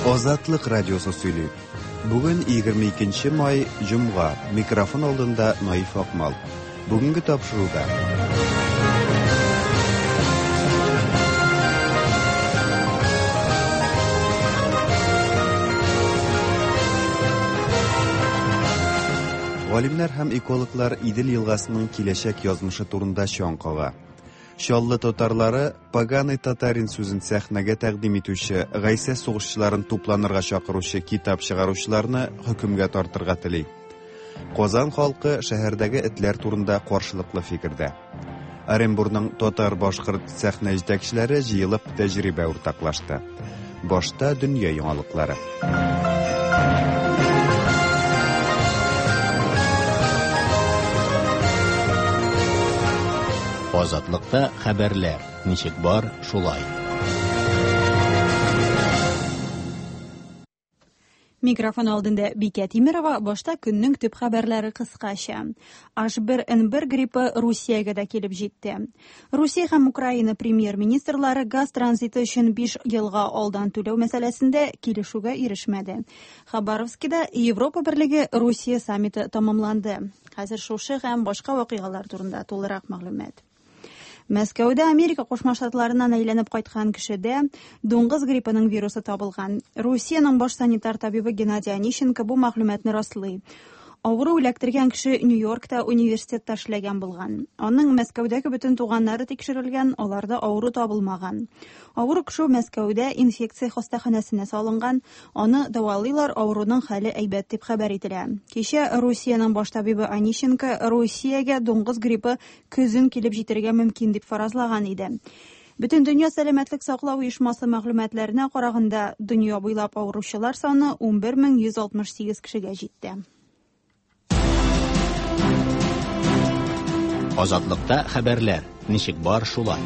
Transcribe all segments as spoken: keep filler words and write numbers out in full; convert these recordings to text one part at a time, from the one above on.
Азатлык радиосы сөйли. Бүген егерме икенче май, җомга. Микрофон алдында Наиф Акмал. Бүгенге тапшыруда. Галимнәр һәм экологлар Идел елгасының киләчәк язмышы турында чаң кага. Чаллы татарлары поганый татарин сүзен сәхнәгә тәкъдим итүче, Гайсә сугышчыларын тупланырга чакыручы китап чыгаручыларны хөкемгә тартырга тели. Казан халкы шәһәрдәге этләр турында каршылыклы фикердә. Оренбургның татар-башкорт сәхнә җитәкчеләре җыелып тәҗрибә уртаклашты. Башта дөнья яңалыклары. Азатлыкта хәбәрләр ничек бар, шулай. Микрофон алдында Бикә Тимирова, башта көннең төп хәбәрләре кыскача. H бер N бер гриппы Русиягә дә килеп җитте. Русия һәм Украина премьер-министрлары газ транзиты өчен биш елга алдан түләү мәсьәләсендә килешүгә ирешмәде. Хабаровскида Европа Берлеге Русия саммиты тамамланды. Хәзер шушы һәм башка вакыйгалар турында тулырак мәгълүмат. Мәскәүдә Америка Кушма Штатларыннан әйләнеп кайткан кешедә дуңгыз гриппының вирусы табылган. Русиянең баш санитар табибы Геннадий Онищенко бу мәгълүматны раслый. Авыру эләктергән кеше Нью-Йоркта университетта эшләгән булган. Аның Мәскәүдәге бөтен туганнары тикшерелгән, аларда авыру табылмаган. Авыру кеше Мәскәүдә инфекция хастаханәсенә салынган, аны дәвалыйлар, авыруның хәле әйбәт дип хәбәр ителә. Кичә Русиянең баш табибы Онищенко Русиягә дуңгыз гриппы көзен килеп җитәргә мөмкин дип фаразлаган иде. Бөтен дөнья сәламәтлек саклау оешмасы мәгълүматларына караганда, дөнья буйлап авыручылар саны унбер мең йөз алтмыш сигез кешегә җитте. Азатлыкта хәбәрләр ничек бар, шулай.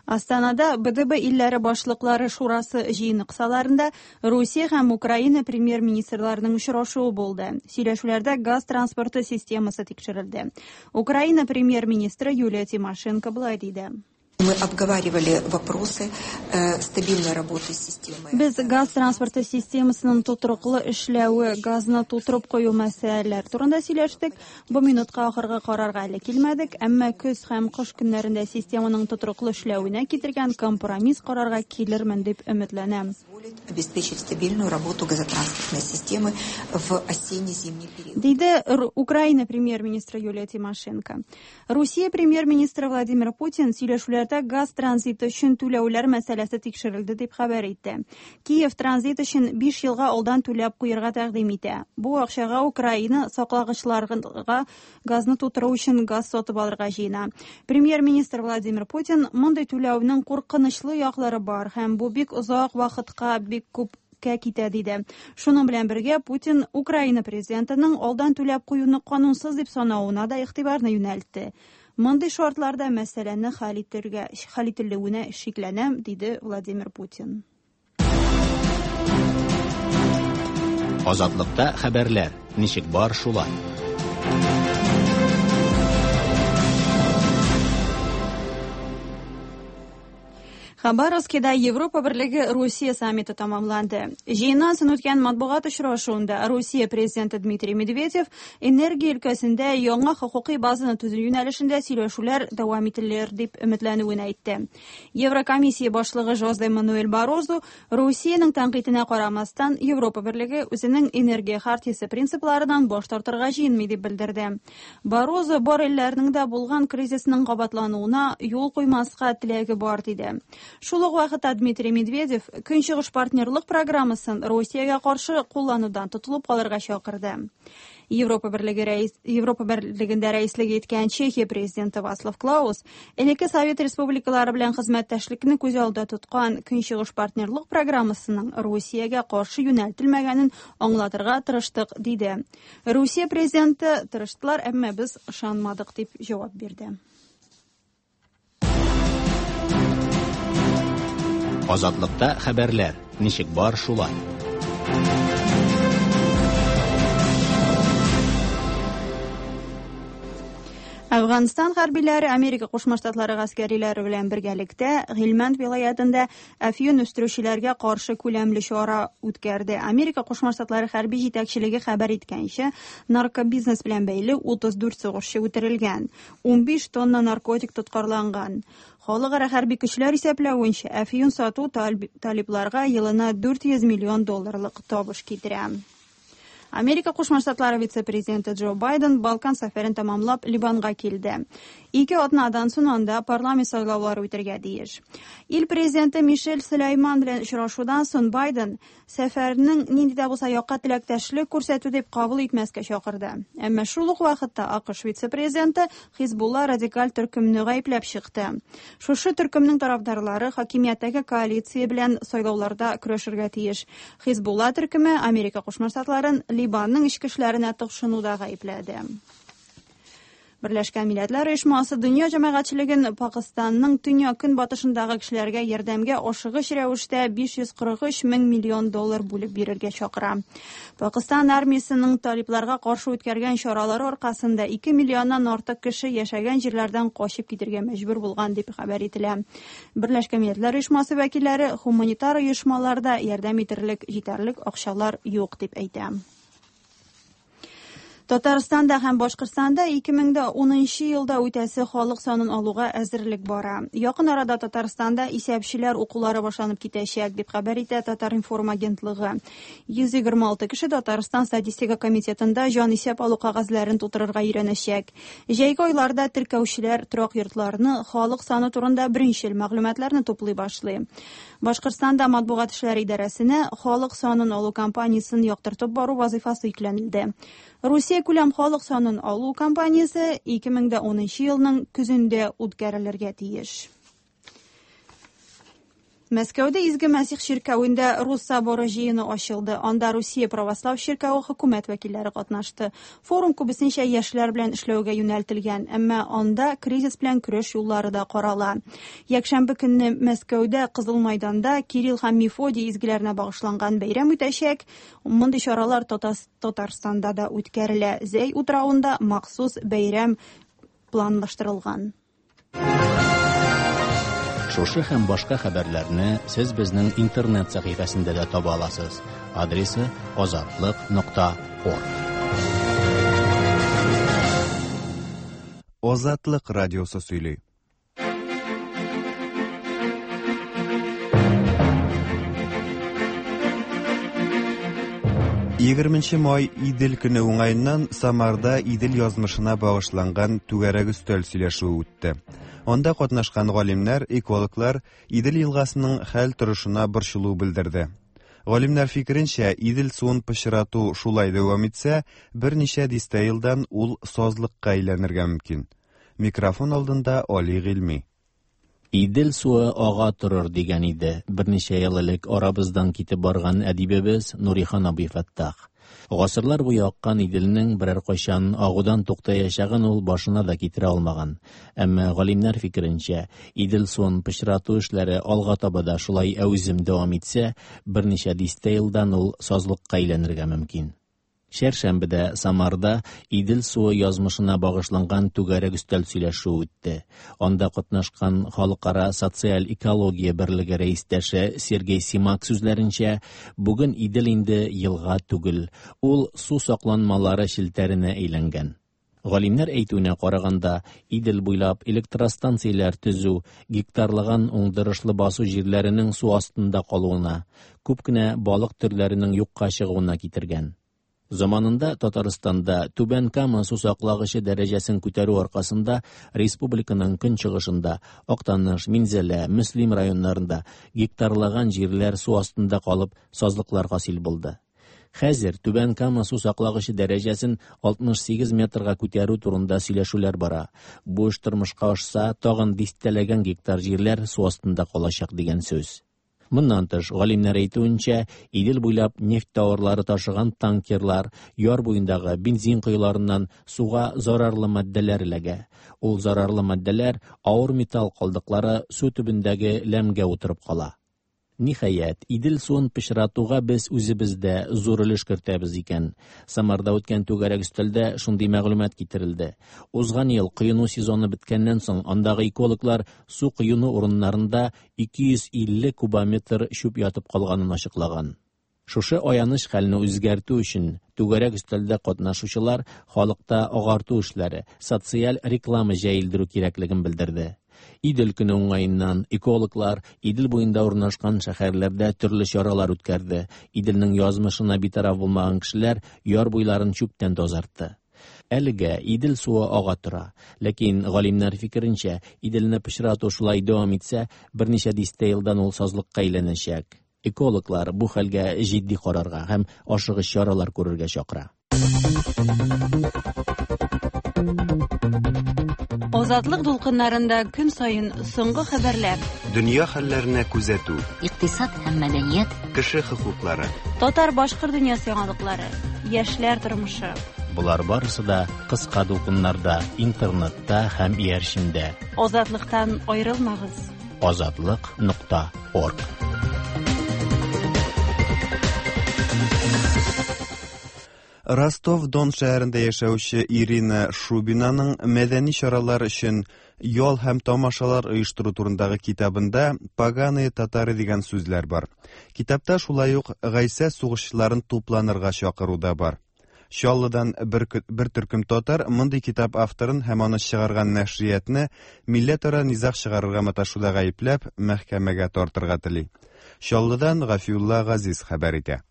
Астанада Б Д Б илләре башлыклары шурасы җыены кысаларында Русия һәм Украина премьер-министрларының очрашуы булды. Сөйләшүләрдә газ транспорты системасы тикшерелде. Украина премьер-министры Юлия Тимошенко былай диде. Мы обговаривали вопросы, э, стабильной работы системы. Без газ транспорты системасының тотрыклы эшләве, газны тутырып кую мәсьәләләре турында сөйләштек. Бу минутка ахыргы карарга әле килмәдек, әмма көз һәм кыш көннәрендә системаның тотрыклы эшләвенә китергән компромисс карарга килермен дип өметләнәм. Обеспечить стабильную работу газотранспортной системы в осенне-зимний период. Диде Ру-, Украина премьер-министры Юлия Тимошенко. Русия премьер-министры Владимир Путин сөйләшүләрдә газ транзиты өчен түләүләр мәсьәләсе тикшерелде дип хәбәр итте. Киев транзит өчен биш елга алдан түләп куярга тәкъдим итә. Бу акчага Украина саклагычларга газны тутыру өчен газ сатып алырга җыена. Премьер-министр Владимир Путин мондый түләүнең куркынычлы яклары бар һәм бу бик озак вакытка бик күпкә китә диде. Шуның белән бергә Путин Украина президентының алдан түләп куюны канунсыз дип санавына да игътибарны юнәлтте. Мондый шартларда мәсьәләне хәл итергә, хәл ителүенә шикләнәм, диде Владимир Путин. Азатлыкта хәбәрләр ничек бар, шулай. Хабаровскида Европа Берлеге Русия саммиты тамамланды. Җыеннан соң үткән матбугат очрашуында Русия президенты Дмитрий Медведев энергия өлкәсендә яңа хокукый базаны төзү юнәлешендә сөйләшүләр дәвам ителер дип өметләнүен әйтте. Еврокомиссия башлыгы Жозе Мануэль Баррозу Русиянең тәнкыйтенә карамастан Европа Берлеге үзенең энергия хартиясе принципларыннан баш тартырга җыенмый дип белдерде. Баррозу бар илләрнең дә булган кризисның кабатлануына юл куймаска теләге бар диде. Шул ук вакытта Дмитрий Медведев Көнчыгыш партнерлык программасын Русиягә каршы кулланудан тотылып калырга чакырды. Европа Берлеге рәис, Европа Берлегендә рәислек иткән Чехия президенты Вацлав Клаус элекке Совет республикалары белән хезмәттәшлекне күз алдында тоткан Көнчыгыш партнерлык программасының Русиягә каршы юнәлтелмәгәнен аңлатырга тырыштык, диде. Русия президенты тырыштылар, әмма без ышанмадык дип җавап бирде. Азатлыкта хәбәрләр ничек бар, шулай. Әфганстан хәрбиләре Америка Кушма Штатлары гаскәриләре белән бергәлектә Гилмәнд вилаятында әфьюн үстерүчеләргә каршы күләмле чара үткәрде. Америка Кушма Штатлары хәрби җитәкчелеге хәбәр иткәнчә, наркобизнес белән бәйле утыз дүрт сугышчы үтерелгән, унбиш тонна наркотик тоткарланган. Халыкара хәрби көчләр исәпләвенчә, әфьюн сату талибларга елына дүрт йөз миллион долларлык табыш китерә. Америка Кушма Штатлары вице-президенты Джо Байден Балкан сәфәрен тәмамлап Либанга килде. Ике атнадан соң анда парламент сайлаулары үтәргә тиеш. Ил президенты Мишель Сөләйман белән очрашудан соң Байден сәфәрнең нинди дә булса якка теләктәшлек күрсәтү дип кабул итмәскә чакырды. Әмма шул ук вакытта АКШ вице-президенты Хизбулла радикаль төркемне гаепләп чыкты. Шушы төркемнең тарафдарлары хакимияттәге коалиция белән сайлауларда көрәшергә тиеш. Хизбулла төркеме Америка Кушма Штатларын Либанның эчке эшләренә тыкшынуда гаепләде. Берләшкән Милләтләр Оешмасы дөнья җәмәгатьчелеген Пакистанның төньяк-көнбатышындагы кешеләргә ярдәмгә ашыгыч рәвештә биш йөз кырык өч мең миллион доллар бүлеп бирергә чакыра. Пакистан армиясының талибларга каршы үткәргән чаралары аркасында ике миллионнан артык кеше яшәгән җирләрдән качып китергә мәҗбүр булган дип хәбәр ителә. Берләшкән Милләтләр Оешмасы вәкилләре гуманитар оешмаларда ярдәм итерлек җитәрлек акчалар юк дип әйтә. Татарстанда һәм Башкортстанда ике мең дә унынчы елда үтәсе халык санын алуга әзерлек бара. Якын арада Татарстанда исәпчеләр укулары башланып китәчәк, дип хәбәр итә Татар-информ агентлыгы. йөз егерме алты кеше Татарстан статистика комитетында җан исәп алу кәгазьләрен тутырырга өйрәнәчәк. Җәйге айларда теркәүчеләр торак йортларны халык саны турында беренчел мәгълүматларны туплый башлый. Башкортстанда матбугат эшләре идарәсенә халык санын алу кампаниясен яктыртып бару вазифасы йөкләнелде. Русия күләм халык санын алу кампаниясе ике мең дә унынчы елның көзендә үткәрелергә тиеш. Мәскәүдә Изге Мәсих чиркәвендә Рус соборы җыены ачылды. Анда Русия православ чиркәве хөкүмәт вәкилләре катнашты. Форум күбесенчә яшьләр белән эшләүгә юнәлтелгән, әмма анда кризис белән көрәш юллары да карала. Якшәмбе көнне Мәскәүдә Кызыл майданда Кирилл һәм Мефодий изгеләренә багышланган бәйрәм үтәчәк. Мондый чаралар Татарстанда да үткәрелә. Зәй утравында махсус бәйрәм планлаштырылган. Шушы һәм башка хәбәрләрне сез безнең интернет сәхифәсендә дә таба аласыз. Адресы азатлык нокта орг. Азатлык радиосы сөйли. Егерменче май Идел көне уңаеннан Самарда Идел язмышына багышланган түгәрәк өстәл сөйләшүе үтте. Анда катнашкан галимнәр, экологлар Идел елгасының хәл торышына борчылу белдерде. Галимнәр фикеренчә, Идел суын пычрату шулай дәвам итсә, берничә дистә елдан ул сазлыкка әйләнергә мөмкин. Микрофон алдында Али Гыйльми. Идел суы ага торыр дигән иде берничә ел элек арабыздан китеп барган әдибебез Нурихан абый Фәттах. Гасырлар буе аккан Иделнең берәр кайчан агудан туктаячагын ул башына да китерә алмаган. Әмма галимнәр фикеренчә, Идел суын пычрату эшләре алга таба да шулай әүзем дәвам итсә, берничә дистә елдан ул сазлыкка әйләнергә мөмкин. Чәршәмбедә Самарда Идел суы язмышына багышланган түгәрәк өстәл сөйләшүе үтте. Анда катнашкан Халыкара социаль экология берлеге рәистәше Сергей Симак сүзләренчә, бүген Идел инде елга түгел, ул су сакланмалары челтәренә әйләнгән. Галимнәр әйтүенә караганда, Идел буйлап электростанцияләр төзү гектарлаган уңдырышлы басу җирләренең су астында калуына, күп кенә балык төрләренең юкка чыгуына китергән. Заманында Татарстанда Түбән Кама су саклагычы дәрәҗәсен күтәрү аркасында республиканың көнчыгышында Актаныш, Минзәлә, Мөслим районнарында гектарлаган җирләр су астында калып сазлыклар хасил булды. Хәзер Түбән Кама су саклагычы дәрәҗәсен алтмыш сигез метрга күтәрү турында сөйләшүләр бара. Бу эш тормышка ашса, тагын дистәләгән гектар җирләр су астында калачак дигән сүз. Моннан тыш, галимнәр әйтүенчә, Идел буйлап нефть тауарлары ташыган танкерлар яр буендагы бензин коеларыннан суга зарарлы матдәләр эләгә. Ул зарарлы матдәләр авыр металл калдыклары су төбендәге ләмгә утырып кала. Ниһаять, Идел суын пычратуга без үзебез дә зур өлеш кертәбез икән. Самарда үткән түгәрәк өстәлдә шундый мәгълүмат китерелде. Узган ел коену сезоны беткәннән соң андагы экологлар су коену урыннарында ике йөз илле кубометр чүп ятып калганын ачыклаган. Шушы аяныч хәлне үзгәртү өчен түгәрәк өстәлдә катнашучылар халыкта агарту эшләре, социаль реклама җәелдерү кирәклеген белдерде. Идел көне уңаеннан экологлар Идел буенда урнашкан шәһәрләрдә төрле чаралар үткәрде. Иделнең язмышына битараф булмаган кешеләр яр буйларын чүптән тазартты. Әлегә Идел суы ага тора. Ләкин галимнәр фикеренчә, Иделне пычрату шулай дәвам итсә, берничә дистә елдан ул сазлыкка әйләнәчәк. Экологлар бу хәлгә җитди карарга һәм ашыгыч чаралар күрергә чакыра. Азатлык дулкыннарында көн саен соңгы хәбәрләр, дөнья хәлләренә күзәтү, икътисад һәм мәдәният, кеше хокуклары, татар-башкорт дөньясы яңалыклары, яшьләр тормышы. Болар барысы да кыска дулкыннарда, интернетта һәм иярчендә. Азатлыктан аерылмагыз. Азатлык нокта орг. Ростов-Дон шәһәрендә яшәүче Ирина Шубинаның мәдәни чаралар өчен ял һәм тамашалар оештыру турындагы китабында «Поганые татары» дигән сүзләр бар. Китапта шулай ук Гайсә сугышчыларын тупланырга чакыру да бар. Чаллыдан бер, бер төркем татар мондый китап авторын һәм аны чыгарган нәшриятны милләтара низаг чыгарырга маташуда гаепләп мәхкәмәгә тартырга тели. Чаллыдан Гафиулла Газиз хәбәр итә.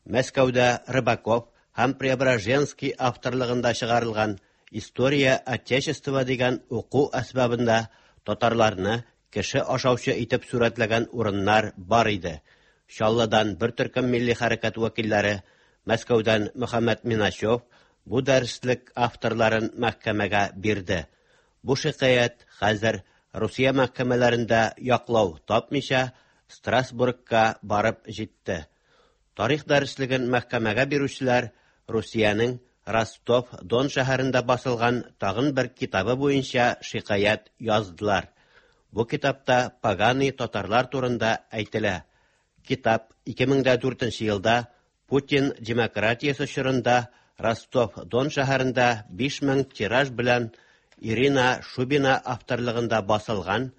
Мәскәүдә Рыбаков һәм Преображенский авторлыгында чыгарылган «История Отечества» дигән уку әсбабында татарларны кеше ашаучы итеп сурәтләгән урыннар бар иде. Чаллыдан бер төркем милли хәрәкәт вәкилләре, Мәскәүдән Мөхәммәт Миначев бу дәреслек авторларын мәхкәмәгә бирде. Бу шикаять хәзер Русия мәхкәмәләрендә яклау тапмыйча Страсбургка барып җитте. Тарих дәреслеген мәхкәмәгә бирүчеләр Русиянең Ростов-Дон шәһәрендә басылган тагын бер китабы буенча шикаять яздылар. Бу китапта поганый татарлар турында әйтелә. Китап ике мең дә дүртенче елда Путин демократиясе чорында Ростов-Дон шәһәрендә биш мең тираж белән Ирина Шубина авторлыгында басылган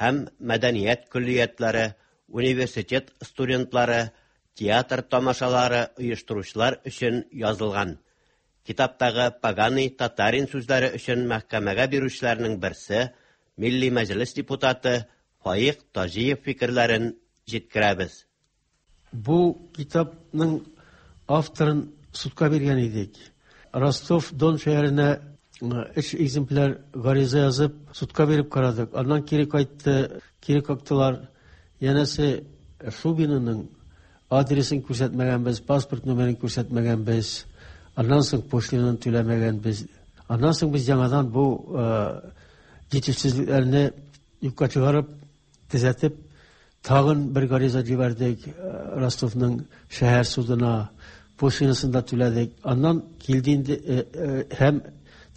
һәм мәдәният көллиятләре, университет студентлары, театр тамашалары оештыручылар өчен язылган. Китаптагы «Поганый татарин» сүзләре өчен мәхкәмәгә бирүчеләрнең берсе Милли Мәҗлес депутаты Фаик Таҗиев фикерләрен җиткерәбез. Бу китапның авторын судка биргән идек. Ростов-Дон шәһәренә өч экземпляр гариза язып судка биреп карадык. Аннан кире кайтты, кире кактылар. Янәсе Шубинаның адресын күрсәтмәгәнбез, паспорт номерын күрсәтмәгәнбез, аннан соң пошлинаны түләмәгәнбез. Аннан соң без яңадан бу җитешсезлекләрне юкка чыгарып, төзәтеп, тагын бер гариза җибәрдек Ростовның шәһәр судына, пошлинасын да түләдек. Аннан килде инде һәм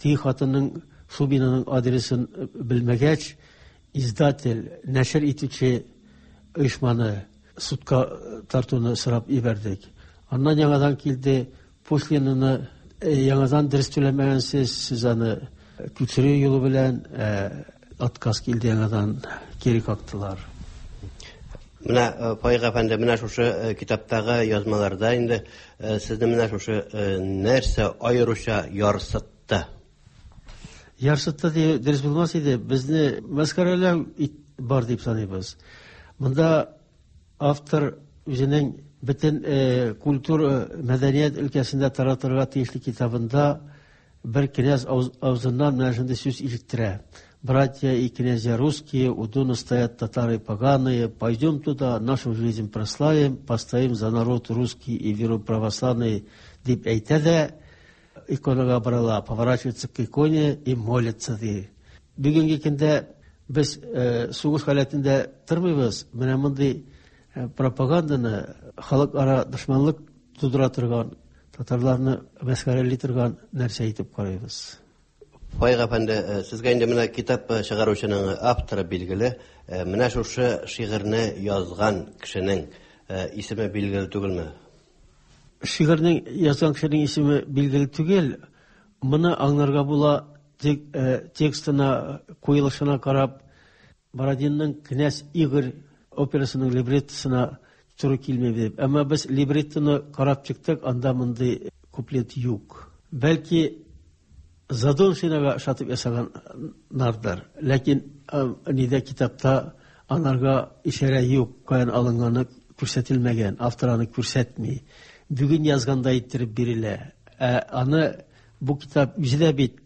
теге хатынның Шубинаның адресын белмәгәч, издатель, нәшер итүче оешманы судка тартуны сорап ибәрдек. Аннан яңадан килде, пошлинаны яңадан дөрес түләмәгәнсез, сез аны күчерү юлы белән отказ килде, яңадан кире кактылар. Менә Фаик әфәнде, менә шушы китаптагы язмаларда инде сезне менә шушы нәрсә аеруча ярсытты? Ярсытты дип дөрес булмас иде. Безне мәсхәрәләү бар дип саныйбыз. Монда автор үзенең бөтен культура, мәдәният өлкәсендә таратырга тиешле китабында бер князь авызыннан менә шундый сүз ишеттерә. Братья и князья русские, у Дона стоят татары поганые, пойдем туда, нашу жизнь прославим, постоим за народ русский и веру православный, дип әйтә дә, иконага барыла, поворачивается к иконе и молится, ди. Бүгенге көндә без сугыш халәтендә тормыйбыз, менә мондый пропаганданы халыкара дошманлык тудыра торган, татарларны мәсхәрәли торган нәрсә итеп карыйбыз. Фаик әфәнде, сезгә инде менә китап чыгаручының авторы билгеле. Менә шушы шигырьне язган кешенең исеме билгеле түгелме? Шигырьнең язган кешенең исеме билгеле түгел. Моны аңларга була тек, текстына, куелышына карап, Бородинның «Князь Игорь» операсының либреттосына туры килми дип. Әмма без либреттоны карап чыктык, анда мондый куплет юк. Бәлки Задоншинага ошатып ясаганнардыр. Ләкин нидә китапта анарга ишарә юк, каян алынганы күрсәтелмәгән, автор аны күрсәтми. Бүген язгандай иттереп бирелә. Ә аны бу китап үзе дә бит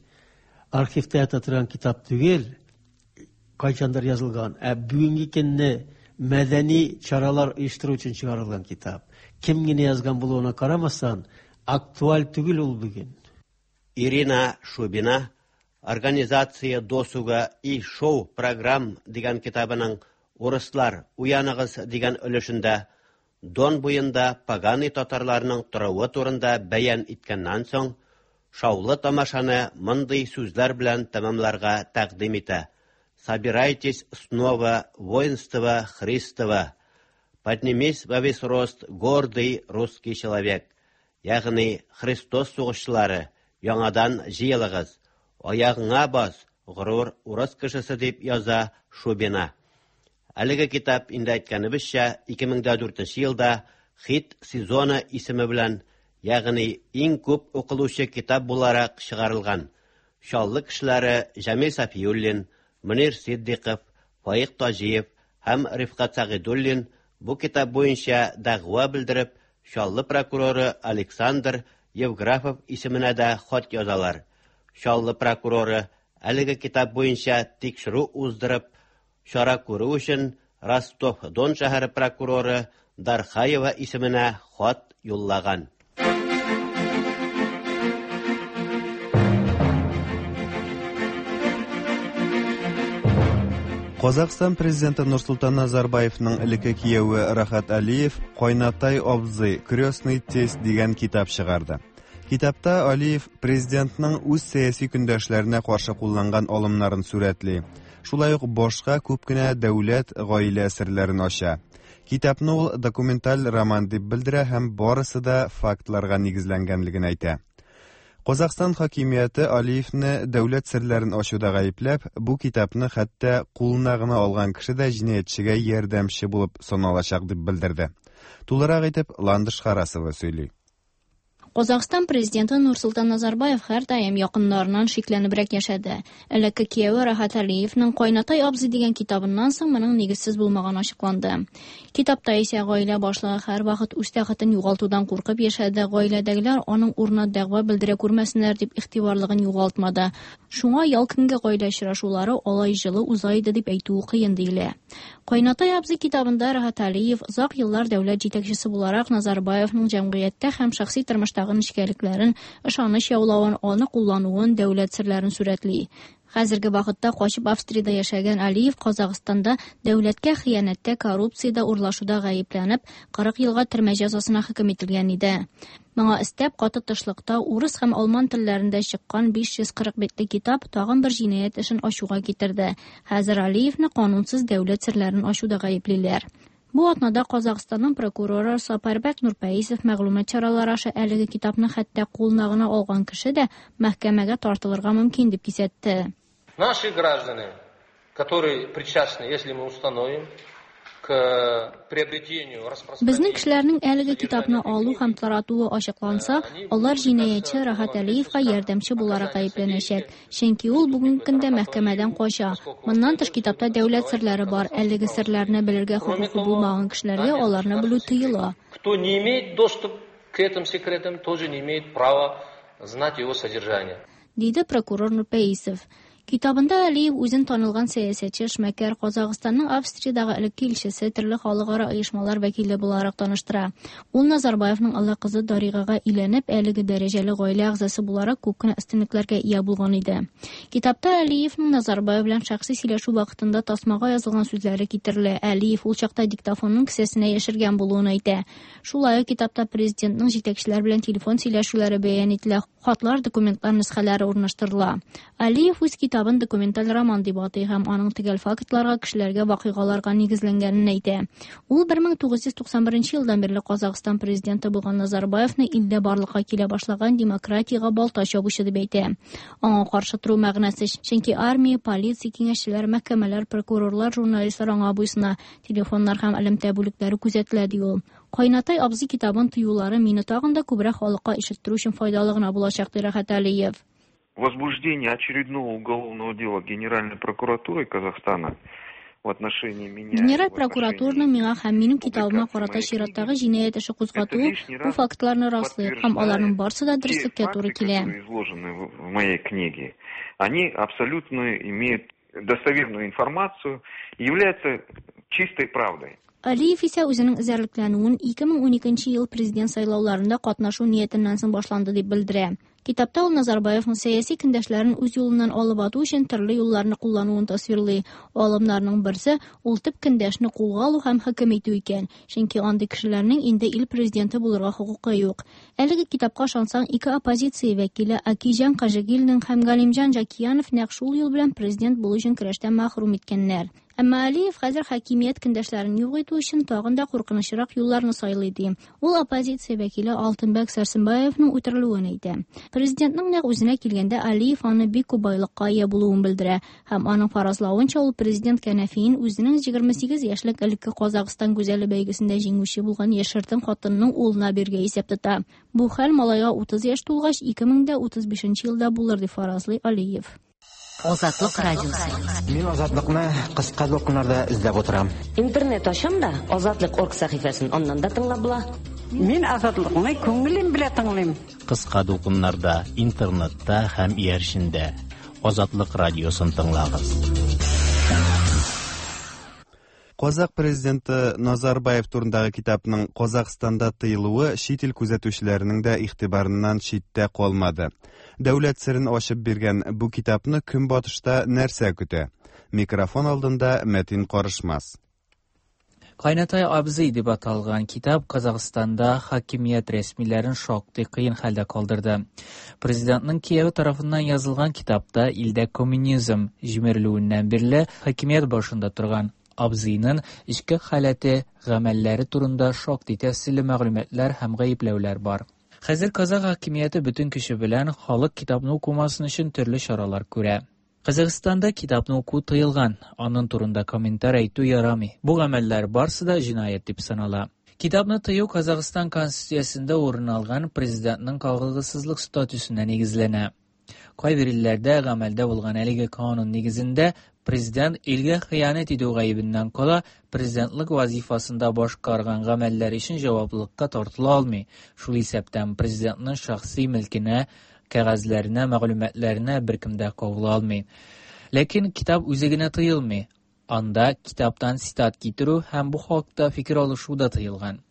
архивта ята торган китап түгел, кайчандыр язылган. Ә бүгенге көнне мәдәни чаралар оештыру өчен чыгарылган китап. Кем генә язган булуына карамастан, актуаль түгел ул бүген. Ирина Шубина «Организация досуга и шоу-программ» дигән китабының «Урыслар, уяныгыз» дигән өлешендә Дон буенда поганый татарларның торуы турында бәян иткәннән соң, шаулы тамашаны мондый сүзләр белән тәмамларга тәкъдим итә. Собирайтесь снова, воинство Христово. Поднимись во весь рост, гордый русский человек. Ягъни Христос сугышчылары, яңадан җыелыгыз, аягыңа бас, горур урыс кешесе дип яза Шубина. Әлеге китап инде әйткәнебезчә ике мең дә дүртенче елда «Хит сезоны» исеме белән, ягъни иң күп укылучы китап буларак чыгарылган. Чаллы кешеләре Җамил Сафиуллин, Мөнир Сиддиков, Фаик Таҗиев һәм Рифкат Сәгыйдуллин бу китап буенча дәгъва белдереп, Чаллы прокуроры Александр Евграфов исеменә дә хат язалар. Чаллы прокуроры әлеге китап буенча тикшерү уздырып, чара күрү өчен Ростов-Дон шәһәре прокуроры Дархаева исеменә хат юллаган. Казахстан президенты Нурсултан Назарбаевның элекке кияве Рахат Алиев «Кайнатай абзый, крестный тесть» дигән китап чыгарды. Китапта Алиев президентның үз сәяси көндәшләренә каршы кулланган алымнарын сурәтли. Шулай ук башка күп кенә дәүләт гаилә серләрен ача. Китапны ул документаль роман дип белдерә һәм барысы да фактларга нигезләнгәнлеген әйтә. Казахстан хакимияте Алиевны дәүләт серләрен ачуда гаепләп, бу китапны хәтта кулына гына алган кеше дә җинаятьчегә ярдәмче булып саналачак дип белдерде. Тулырак итеп Ландыш Харасова сөйли. Казахстан президенты Нурсултан Назарбаев һәр даим якыннарыннан шикләнебрәк яшәде. Элекке кияве Рахат Алиевның «Кайнатай абзый» дигән китабыннан соң моның нигезсез булмаганы ачыкланды. Китапта исә гаилә башлыгы һәр вакыт үз тәхетен югалтудан куркып яшәде. Гаиләдәгеләр аның урынына дәгъва белдерә күрмәсеннәр дип игътибарлыгын югалтмады. Шуңа ял көнге гаилә очрашулары алай җылы уза иде дип әйтүе кыен диелә. «Кайнатай абзый» китабында Рахат Алиев озак еллар дәүләт җитәкчесе буларак Назарбаевның җәмгыятьтә һәм шәхси тормышта нечкәлекләрен, ышаныч яулавын, аны куллануын, дәүләт серләрен сурәтли. Хәзерге вакытта качып Австриядә яшәгән Алиев Казахстанда дәүләткә хыянәттә, коррупциядә, урлашуда гаепләнеп, кырык елга төрмә җәзасына хөкем ителгән иде. Моңа өстәп, каты тышлыкта урыс һәм алман телләрендә чыккан биш йөз кырык битле китап тагын бер җинаять эшен ачуга китерде. Хәзер Алиевны канунсыз дәүләт серләрен ачуда гаеплиләр. Бу атнада Казахстанның прокуроры Сапарбек Нурпәисов мәгълүмат чаралары аша әлеге китапны хәтта кулына гына алган кеше дә мәхкәмәгә тартылырга мөмкин дип кисәтте. Наши граждане, которые причастны, если мы установим, к приобретению, распространению. Безнең кешеләрнең әлеге китапны алу һәм таратуы ачыкланса, алар җинаятьче Рахат Алиевка ярдәмче буларак гаепләнәчәк, чөнки ул бүгенге көндә мәхкәмәдән кача. Моннан тыш китапта дәүләт серләре бар. Әлеге серләрне белергә хокукы булмаган кешеләргә аларны белү тыела. Кто не имеет доступ к этим секретам, тоже не имеет права знать его содержание, диде прокурор Нурпәисов. Китабында Алиев үзен танылган сәясәтче, эшмәкәр, Казахстанның Австриядагы элекке илчесе, төрле халыкара оешмалар вәкиле буларак таныштыра. Ул Назарбаевның олы кызы Даригага өйләнеп, әлеге дәрәҗәле гаилә әгъзасы буларак күп кенә өстенлекләргә ия булган иде. Китапта Алиевның Назарбаев белән шәхси сөйләшү вакытында тасмага язылган сүзләре китерелә. Алиев ул чакта диктофонның кесәсенә яшергән булуын әйтә. Шулай ук китапта президентның җитәкчеләр белән телефон сөйләшүләре бәян ителә, хатлар, документлар нөсхәләре урнаштырыла. Алиев үз китабын документаль роман дип атый һәм аның төгәл фактларга, кешеләргә, вакыйгаларга нигезләнгәнен әйтә. Ул бер мең тугыз йөз туксан беренче елдан бирле Казахстан президенты булган Назарбаевны илдә барлыкка килә башлаган демократиягә балта чабучы дип әйтә. Аңа каршы тору мәгънәсе, чөнки армия, полиция, киңәшчеләр, мәхкәмәләр, прокурорлар, журналистлар аңа буйсына, телефоннар һәм элемтә бүлекләре күзәтелә, ди ул. Кайнатай абзый китабын тыюлары мине тагын да күбрәк халыкка ишеттерү өчен файдалы гына булачак, ди Рәхәт Алиев. Возбуждение очередного уголовного дела Генеральной прокуратуры Казахстана в отношении меня. Генераль прокуратураның миңа һәм минем китабыма карата чираттагы җинаять эше кузгатуы бу фактларны раслый һәм аларның барысы да дөреслеккә туры килә. Изложены в моей книге, они абсолютно имеют достоверную информацию, являются чистой правдой. Алиев исә үзенең эзәрлекләнүен ике мең уникенче ел президент сайлауларында катнашу ниятеннән соң башланды дип белдерә. Китапта ул Назарбаевның сәяси көндәшләрен үз юлыннан алып ату өчен төрле юлларны куллануын тасвирлый. Алымнарның берсе ул төп көндәшне кулга алу һәм хөкем итү икән, чөнки андый кешеләрнең инде ил президенты булырга хокукы юк. Әлеге китапка ышансаң, ике оппозиция вәкиле Акиҗан Кажыгилдин һәм Галимҗан Жакиянов нәкъ шул юл белән президент булу өчен көрәштән мәхрүм иткәннәр. Әмма Алиев хәзер хакимият көндәшләрен юк итү өчен тагын да куркынычрак юлларны сайлый ди. Ул оппозиция вәкиле Алтынбек Сәрсенбаевның үтерелүен әйтә. Президентның нәкъ үзенә килгәндә Алиев аны бик күп байлыкка ия булуын белдерә һәм аның фаразлавынча ул президент кәнәфиен үзенең егерме сигез яшьлек элекке Казахстан гүзәле бәйгесендә җиңүче булган яшертен хатынының улына биргә исәп тота. Бу хәл малайга утыз яшь тулгач ике мең дә утыз бишенче елда булыр дип фаразлый Алиев. Азатлык радиосы. Мин Азатлыкны кыска дулкыннарда эзләп утырам. Интернет ачам да Азатлык орг сәхифәсен аннан да тыңлап була. Мин Азатлыкны күңелем белән тыңлыйм. Кыска дулкыннарда, интернетта һәм иярчендә Азатлык радиосын тыңлагыз. Казак президенты Назарбаев турындагы китапның Казахстанда тыелуы чит ил күзәтүчеләренең дә игътибарыннан читтә калмады. Дәүләт серен ачып биргән бу китапны көнбатышта нәрсә көтә? Микрофон алдында Мәтин Карышмас. Кайнатай абзый дип аталган китап Казахстанда хакимият рәсмиләрен шактый кыен хәлдә калдырды. Президентның кияве тарафыннан язылган китапта илдә коммунизм җимерелүеннән бирле хакимият башында торган абзыйның эчке халәте, гамәлләре турында шактый тәфсилле мәгълүматлар һәм гаепләүләр бар. Хәзер казах хакимияте бөтен көче белән халык китапны укымасын өчен төрле чаралар күрә. Казахстанда китапны уку тыелган, аның турында комментар әйтү ярамый. Бу гамәлләр барсы да җинаять дип санала. Китапны тыю Казахстан конституциясендә урын алган президентның кагылгысызлык статусына нигезләнә. Кайбер илләрдә гамәлдә булган әлеге канун нигезендә президент илгә хыянәт итү гаебеннән кала президентлык вазифасында башкарган гамәлләр өчен җаваплылыкка тартыла алмый. Шул исәптән президентның шәхси милкенә, кәгазьләренә, мәгълүматларына беркем дә кагыла алмый. Ләкин китап үзе генә тыелмый. Анда китаптан цитат китерү һәм бу хакта фикер алышу да тыелган.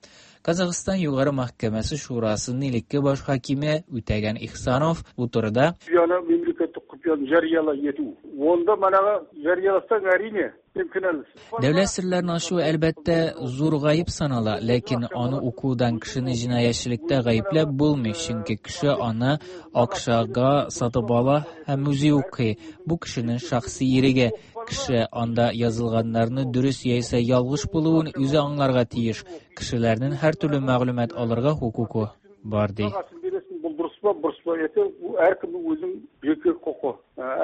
Казахстан Югары мәхкәмәсе шурасының элекке баш хакиме Үтәгән Ихсанов бу турыда: Құпияны, мемлекеттік құпияны жариялау ету. Онда манаға жарияласаң, әрине, сен кінәлісің. Дәүләт серләрен ачу әлбәттә зур гаеп санала, ләкин аны укудан кешене җинаятьчелектә гаепләп булмый, чөнки кеше аны акчага сатып ала һәм үзе укый. Бу кешенең шәхси иреге. Кеше анда язылганнарны дөрес яисә ялгыш булуын үзе аңларга тиеш. Кешеләрнең һәр төрле мәгълүмат алырга хокукы бар ди. Бұл дұрыс па, бұрыс па, это әркімнің өзінің жеке құқы.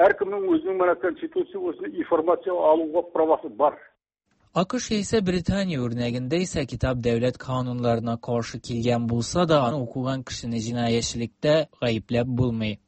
Әркімнің өзінің мына конституция осыны информация алуға правасы бар. АКШ исә Британия үрнәгендә исә китап дәүләт кануннарына каршы килгән булса да, аны укыган кешене җинаятьчелектә гаепләп булмый.